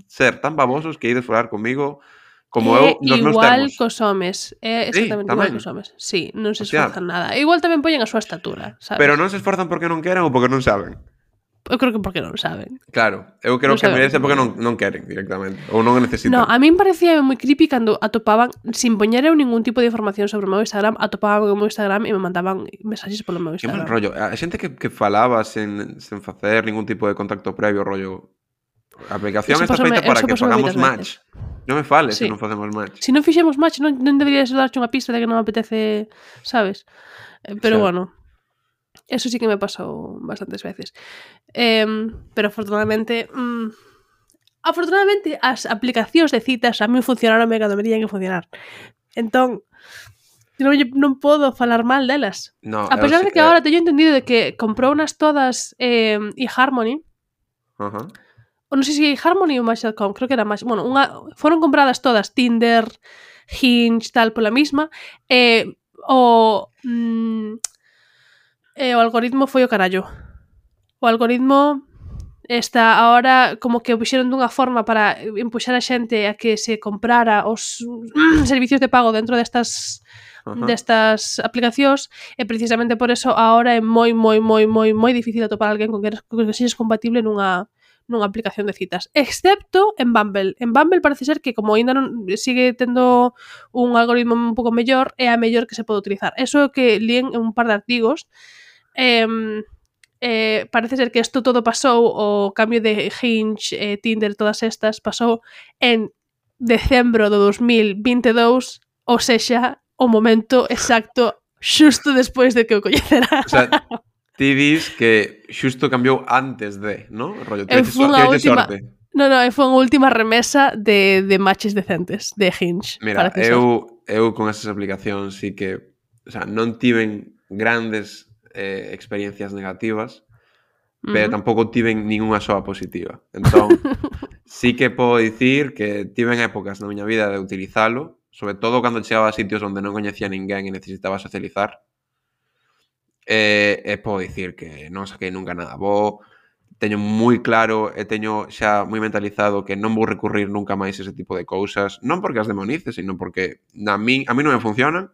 ser tan babosos que ides falar comigo como eu nos meus termos. Igual cos homes, é exactamente igual cos homes. Sí, non se esforzan nada. Igual tamén poñen a súa estatura, sabes? Pero non se esforzan porque non queren ou porque non saben. Eu creo que porque non saben. Claro, eu creo que merece porque non queren directamente, ou non necesitan. No, a min parecía moi creepy cando atopaban, sin poñer eu ningún tipo de información sobre o meu Instagram, atopaban o meu Instagram e me mandaban mensaxes polo meu Instagram. Que mal rollo, a xente que falaba sen facer ningún tipo de contacto previo, rollo. A aplicación está feita para que fagamos match. Non me fales se non facemos match. Se non fixemos match, non deberías darche unha pista de que non me apetece, sabes? Pero bueno, eso sí que me pasou bastantes veces. Pero afortunadamente afortunadamente, as aplicacións de citas a mí funcionaron cando me tiñan que funcionar. Entón, non podo falar mal delas. No, a pesar de que agora teño entendido de que comprou unas todas eHarmony. Ou non sei se eHarmony ou Match.com, creo que era Match. Bueno, foron compradas todas, Tinder, Hinge, tal, pola misma. O algoritmo foi o carallo. O algoritmo está ahora como que o puxeron dunha forma para empuxar a xente a que se comprara os servicios de pago dentro destas aplicacións, e precisamente por eso ahora é moi difícil atopar alguén con que sexes compatible nunha aplicación de citas, excepto en Bumble. En Bumble parece ser que como ainda non sigue tendo un algoritmo un pouco mellor, é a mellor que se pode utilizar. Eso que líen en un par de artigos. Parece ser que isto todo pasou, o cambio de Hinge, Tinder, todas estas pasou en decembro do 2022, ou sexa, o momento exacto xusto despois de que o coñecera. O sea, ti dis que xusto cambiou antes de, ¿no? Rollo, foi unha última sorte. No, foi unha última remesa de matches decentes de Hinge. Mira, eu con esas aplicacións sí que, o sea, non tiven grandes experiencias negativas, pero tampouco tiven ninguna soa positiva. Entón, sí que podo dicir que tiven épocas na miña vida de utilizalo, sobre todo cando chegaba a sitios onde non coñecía ninguén e necesitaba socializar. E podo dicir que non saquei nunca nada bo, teño moi claro e teño xa moi mentalizado que non vou recurrir nunca máis ese tipo de cousas, non porque as demonice, sino porque a mí non me funcionan.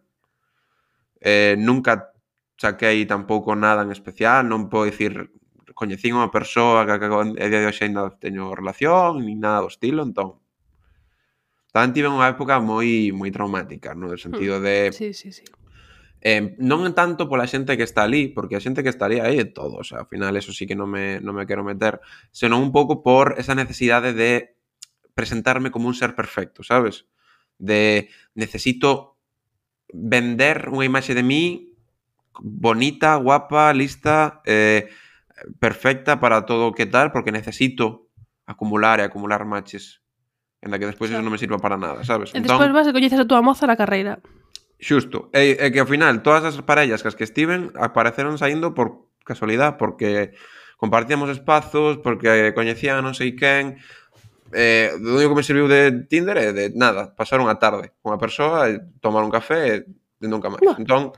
Nunca saquei tampouco nada en especial, non podo dicir coñecín unha persoa que a día de hoxe ainda teño relación, nin nada do estilo, entón tamén tive unha época moi traumática, no sentido de... Sí. Non tanto pola xente que está ali, porque a xente que estaría aí é todo, o sea, ao final eso sí que non me quero meter, senón un pouco por esa necesidade de presentarme como un ser perfecto, sabes? De necesito vender unha imaxe de mí bonita, guapa, lista, perfecta para todo o que tal, porque necesito acumular matches, en la que despois eso non me sirva para nada, sabes? E despois vas e coñeces a túa moza na carreira. Xusto, e que ao final todas as parellas que estiven apareceron saindo por casualidade, porque compartíamos espazos, porque coñecían non sei quen. O único que me serviu de Tinder é de nada, pasar unha tarde con unha persoa e tomar un café e nunca máis. Entón,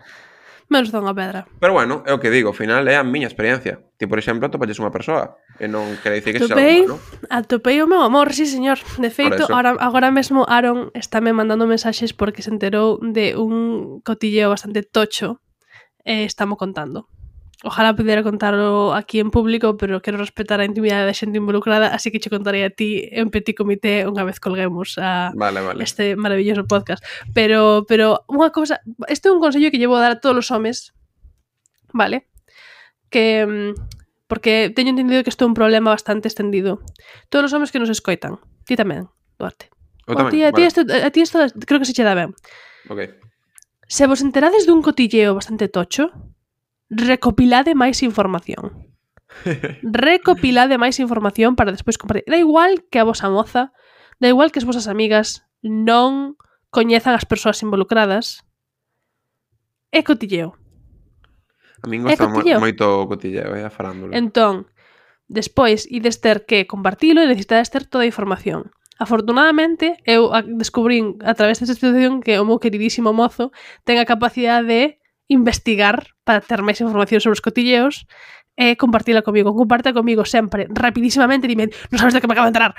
menos da unha pedra. Pero bueno, é o que digo, ao final é a miña experiencia. Ti, por exemplo, atopalles unha persoa e non quere dicir que sexa algo malo. Atopei o meu amor, sí, señor. De feito, agora mesmo Aaron estáme mandando mensaxes porque se enterou de un cotilleo bastante tocho e estamos contando. Ojalá pudera contarlo aquí en público, pero quero respetar a intimidade da xente involucrada, así que che contarei a ti en petit comité unha vez colguemos vale. Este maravilloso podcast. Pero unha cousa, este é un consello que llevo a dar a todos os homes, vale? Que porque teño entendido que isto é un problema bastante extendido. Todos os homes que nos escoitan, ti tamén, Duarte. Tamén, a ti isto creo que se che dá ben. Ok. Se vos enterades dun cotilleo bastante tocho, recopilade máis información. Recopilade máis información para despois compartir. Da igual que a vosa moza, da igual que as vosas amigas non coñezan as persoas involucradas. É cotilleo. A min gosta moito o cotilleo, a farándula. Entón, despois ides ter que compartilo e necesitades ter toda a información. Afortunadamente, eu descubrín a través desta situación que o meu queridísimo mozo ten a capacidade de investigar para ter máis información sobre os cotilleos e compartila comigo. Comparte comigo sempre, rapidísimamente, dime, non sabes de que me acabo de enterar.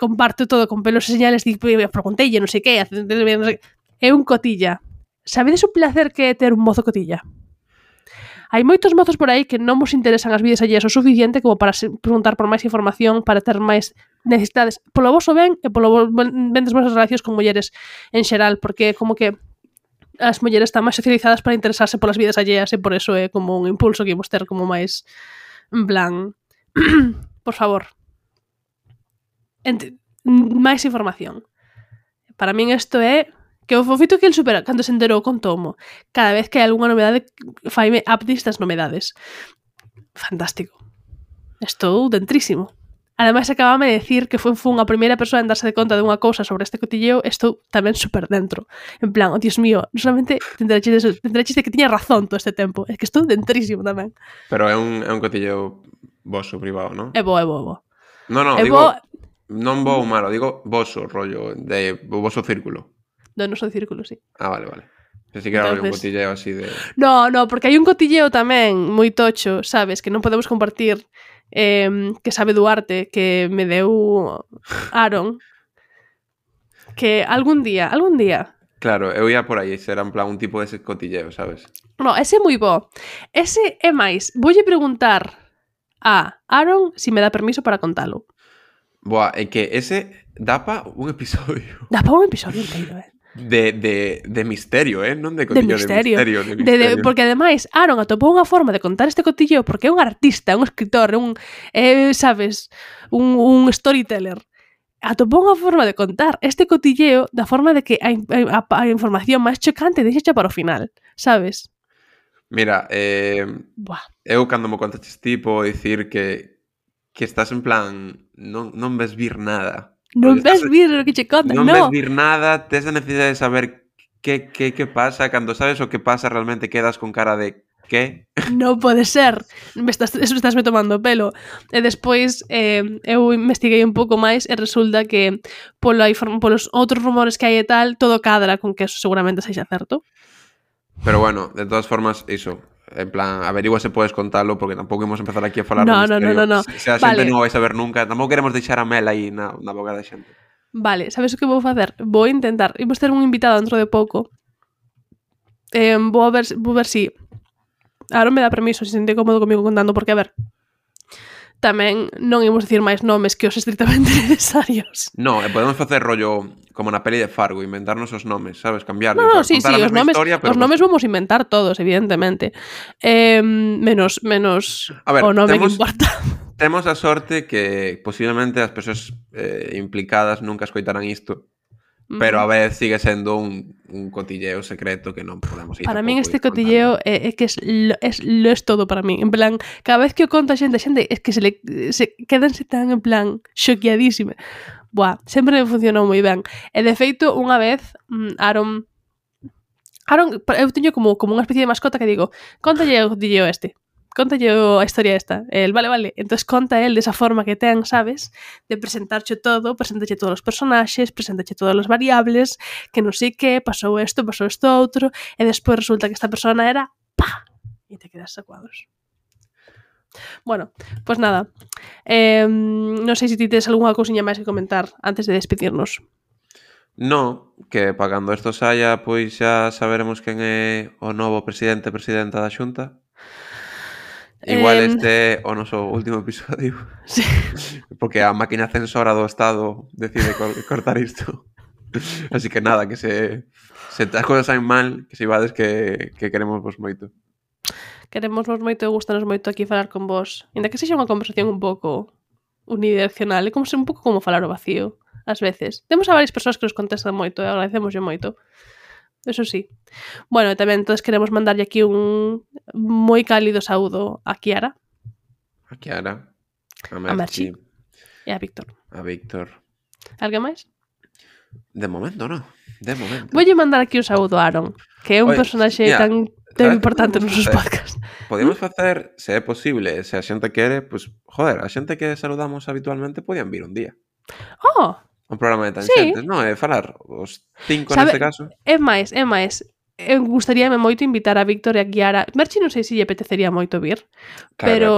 Comparto todo con pelos e señales, pregunteille, non sei que, é un cotilla. Sabedes o placer que é ter un mozo cotilla? Hai moitos mozos por aí que non vos interesan as vidas alleas o suficiente como para preguntar por máis información, para ter máis necesidades polo voso ben e polo ben das vosas relacións con mulleres en xeral, porque como que as mulleres están máis socializadas para interesarse polas vidas alleas e por eso é como un impulso que imos ter como máis en plan por favor máis información. Para min isto é que o fofito que el supera cando se enterou con Tomo, cada vez que hai algunha novedade faime updates das novedades. Fantástico. Estou dentrísimo. Ademais, acabame de decir que fue a primeira persoa en darse de conta de unha cousa sobre este cotilleo, estou tamén super dentro. En plan, oh, Dios mío, non solamente tendréis de que tiña razón todo este tempo, é que estou dentrísimo tamén. Pero é un cotilleo voso privado, non? É bo. No, digo, non bo ou malo, digo voso, rollo, de voso círculo. Do noso círculo, sí. Ah, vale. Pensei que era un cotilleo así de... No, porque hai un cotilleo tamén moi tocho, sabes, que non podemos compartir, que sabe Duarte, que me deu Aaron, que algún día... Claro, eu ia por aí, será en plan un tipo de ese cotilleo, sabes? No, ese é moi bo. Ese é máis. Voulle preguntar a Aaron si me dá permiso para contalo. Boa, é que ese dá pa un episodio. Dá pa un episodio inteiro, De misterio, non de cotillo, de misterio. Porque ademais Aaron atopou unha forma de contar este cotilleo porque é un artista, un escritor, sabes, un storyteller. Atopou unha forma de contar este cotilleo da forma de que a información máis chocante deixacha para o final, sabes? Mira, eu cando me contaches tipo dicir que estás en plan non ves vir nada. Non ves vir o que che conta, non ves vir nada, tes a necesidade de saber que pasa, cando sabes o que pasa realmente quedas con cara de que? Non pode ser, estás me tomando o pelo. E despois eu investiguei un pouco máis e resulta que polos outros rumores que hai e tal, todo cadra con que eso seguramente sexa certo. Pero bueno, de todas formas, iso, en plan, averigua se podes contalo, porque tampouco imos empezar aquí a falar no. Se a xente non o vai saber nunca, tampouco queremos deixar a mel aí na boca da xente. Vale, sabes o que vou facer? Vou intentar, imos ter un invitado dentro de pouco. Vou ver si Aaron me dá permiso, se sente cómodo comigo contando, porque a ver, tamén non imos dicir máis nomes que os estritamente necesarios. No, podemos facer rollo como na peli de Fargo, inventarnos os nomes, sabes? Cambiar. No, sí, os nomes vamos inventar todos, evidentemente. Menos a ver, o nome que importa. Temos a sorte que posiblemente as persoas implicadas nunca escoitarán isto, pero a vez sigue sendo un cotilleo secreto que non podemos ir. Para min este cotilleo é que es todo para min. En plan, cada vez que o conta a xente é que se quedanse tan en plan xoqueadísima. Buah, sempre me funcionou moi ben. E de feito, unha vez, Aaron, eu teño como unha especie de mascota que digo, contalle o cotilleo este. Contalle a historia esta. El, vale. Entón conta el desa forma que ten, sabes? De presentarche todo, preséntache todos os personaxes, preséntache todas as variables, que non sei que, pasou isto outro, e despois resulta que esta persona era ¡pa! E te quedas sacuados. Bueno, pues nada. Non sei se ti tes algunha cousiña máis que comentar antes de despedirnos. No, que para cando isto saia, pois xa saberemos quen é o novo presidenta da Xunta. Igual este o noso último episodio. Sí. Porque a máquina censora do Estado decide cortar isto. Así que nada, que se as cousas saen mal, que se ibades que queremos vos moito. Queremosvos moito e gustanos moito aquí falar con vos. Ainda que sexa unha conversación un pouco unidireccional, é como ser un pouco como falar o vacío, ás veces. Temos a varias persoas que nos contestan moito e agradecemoslle moito. Eso sí. Bueno, tamén todos queremos mandarlle aquí un moi cálido saúdo a Kiara. A Kiara. A Merchi. E a Víctor. Alguén máis? De momento, non. De momento. Voulle mandar aquí un saúdo a Aaron, que é un personaxe tan importante nos nosos podcasts. Podemos facer, se é posible, se a xente quere, pues, joder, a xente que saludamos habitualmente podían vir un día. Oh! Un programa de tanxentes, sí. Non? É falar os 5 neste caso. É máis. Eu gustaríame moito invitar a Víctor e a Kiara. Merchi non sei se lle apetecería moito vir, claro, pero...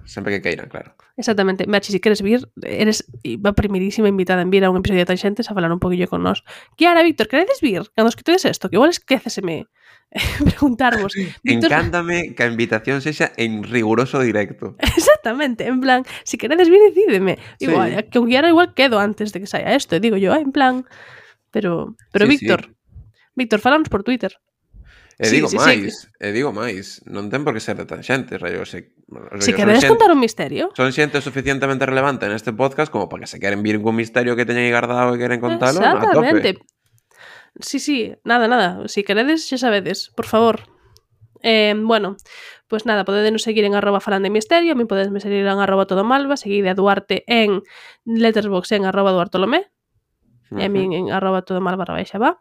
Sempre que queiran, claro. Exactamente. Merchi, se queres vir, eres a primeirísima invitada en vir a un episodio de Tanxentes a falar un poquillo con nós. Kiara, Víctor, queredes vir? Cando escutedes isto, que igual esquéceseme preguntarvos. Víctor... Encántame que a invitación sexa en riguroso directo. Exactamente, en plan, si queredes vir, decídeme. Igual, sí. Que un Kiara igual quedo antes de que saia isto, digo yo, en plan. Pero sí, Víctor, sí. Víctor, falanos por Twitter. Digo máis, non ten por que ser de Tanxentes, rollo, se queredes contar un misterio. Son xente suficientemente relevante neste podcast como para que se queren vir con misterio que teñen aí guardado e queren contalo. Exactamente. Sí, nada, si queredes, xa sabedes, por favor. Bueno, pues nada, podedenos seguir en @falandemisterio, a mí podesme seguir en @todomalva, seguide a Duarte en Letterboxd en @duartolomé, e a min en @todomalva_va.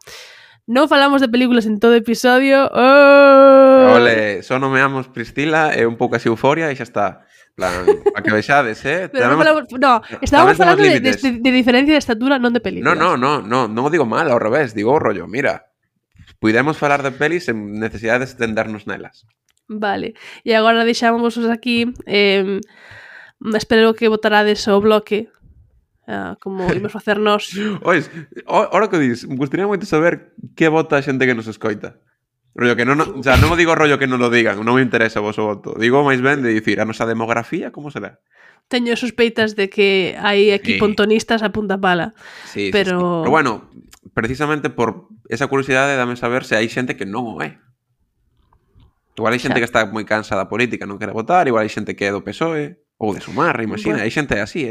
Non falamos de películas en todo episodio. Oh! Ole, só nomeamos Priscila e un pouco así Euforia e xa está. Plan, a que vexades, Pero non falamos, no, estábamos falando de diferencia de estatura, non de películas. Non o digo mal, ao revés, digo o rollo, mira, puidemos falar de pelis sen necesidade de extendernos nelas. Vale, e agora deixámos aquí, espero que votarades o bloque, como imos facernos. Ois, ahora que dis, me gustaría moito saber que vota a xente que nos escoita. Rollo que non, o sea, non o digo rollo que non lo digan, non me interesa o vosso voto. Digo máis ben de dicir, a nosa demografía como será? Teño sospeitas de que hai aquí pontonistas a punta pala. Sí, pero... sí. Pero bueno, precisamente por esa curiosidade dame saber se hai xente que non o é. Igual hai xente que está moi cansa da política, non quere votar, igual hai xente que é do PSOE ou de Sumar, imagina, hai xente así,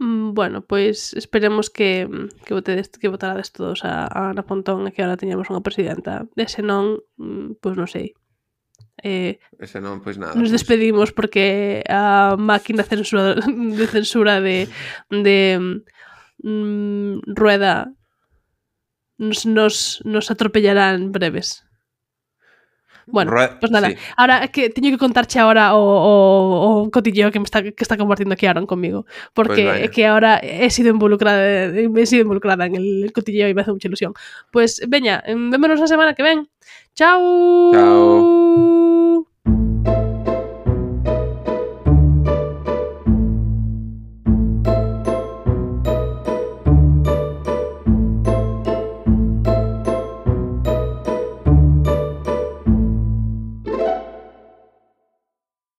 Bueno, pois esperemos que votarades todos a Ana Pontón e que agora teñamos unha presidenta. E se non, pois non sei. Ese non, pois nada. Nos despedimos porque a máquina de censura de Rueda nos atropellará en breves. Bueno, pues nada, sí. Ahora que teño que contarche ahora o cotilleo que está compartiendo aquí Aaron conmigo, porque pues que ahora he sido involucrada en el cotilleo y me hace mucha ilusión. Pues veña, vémonos la semana que ven. Chao. Chao.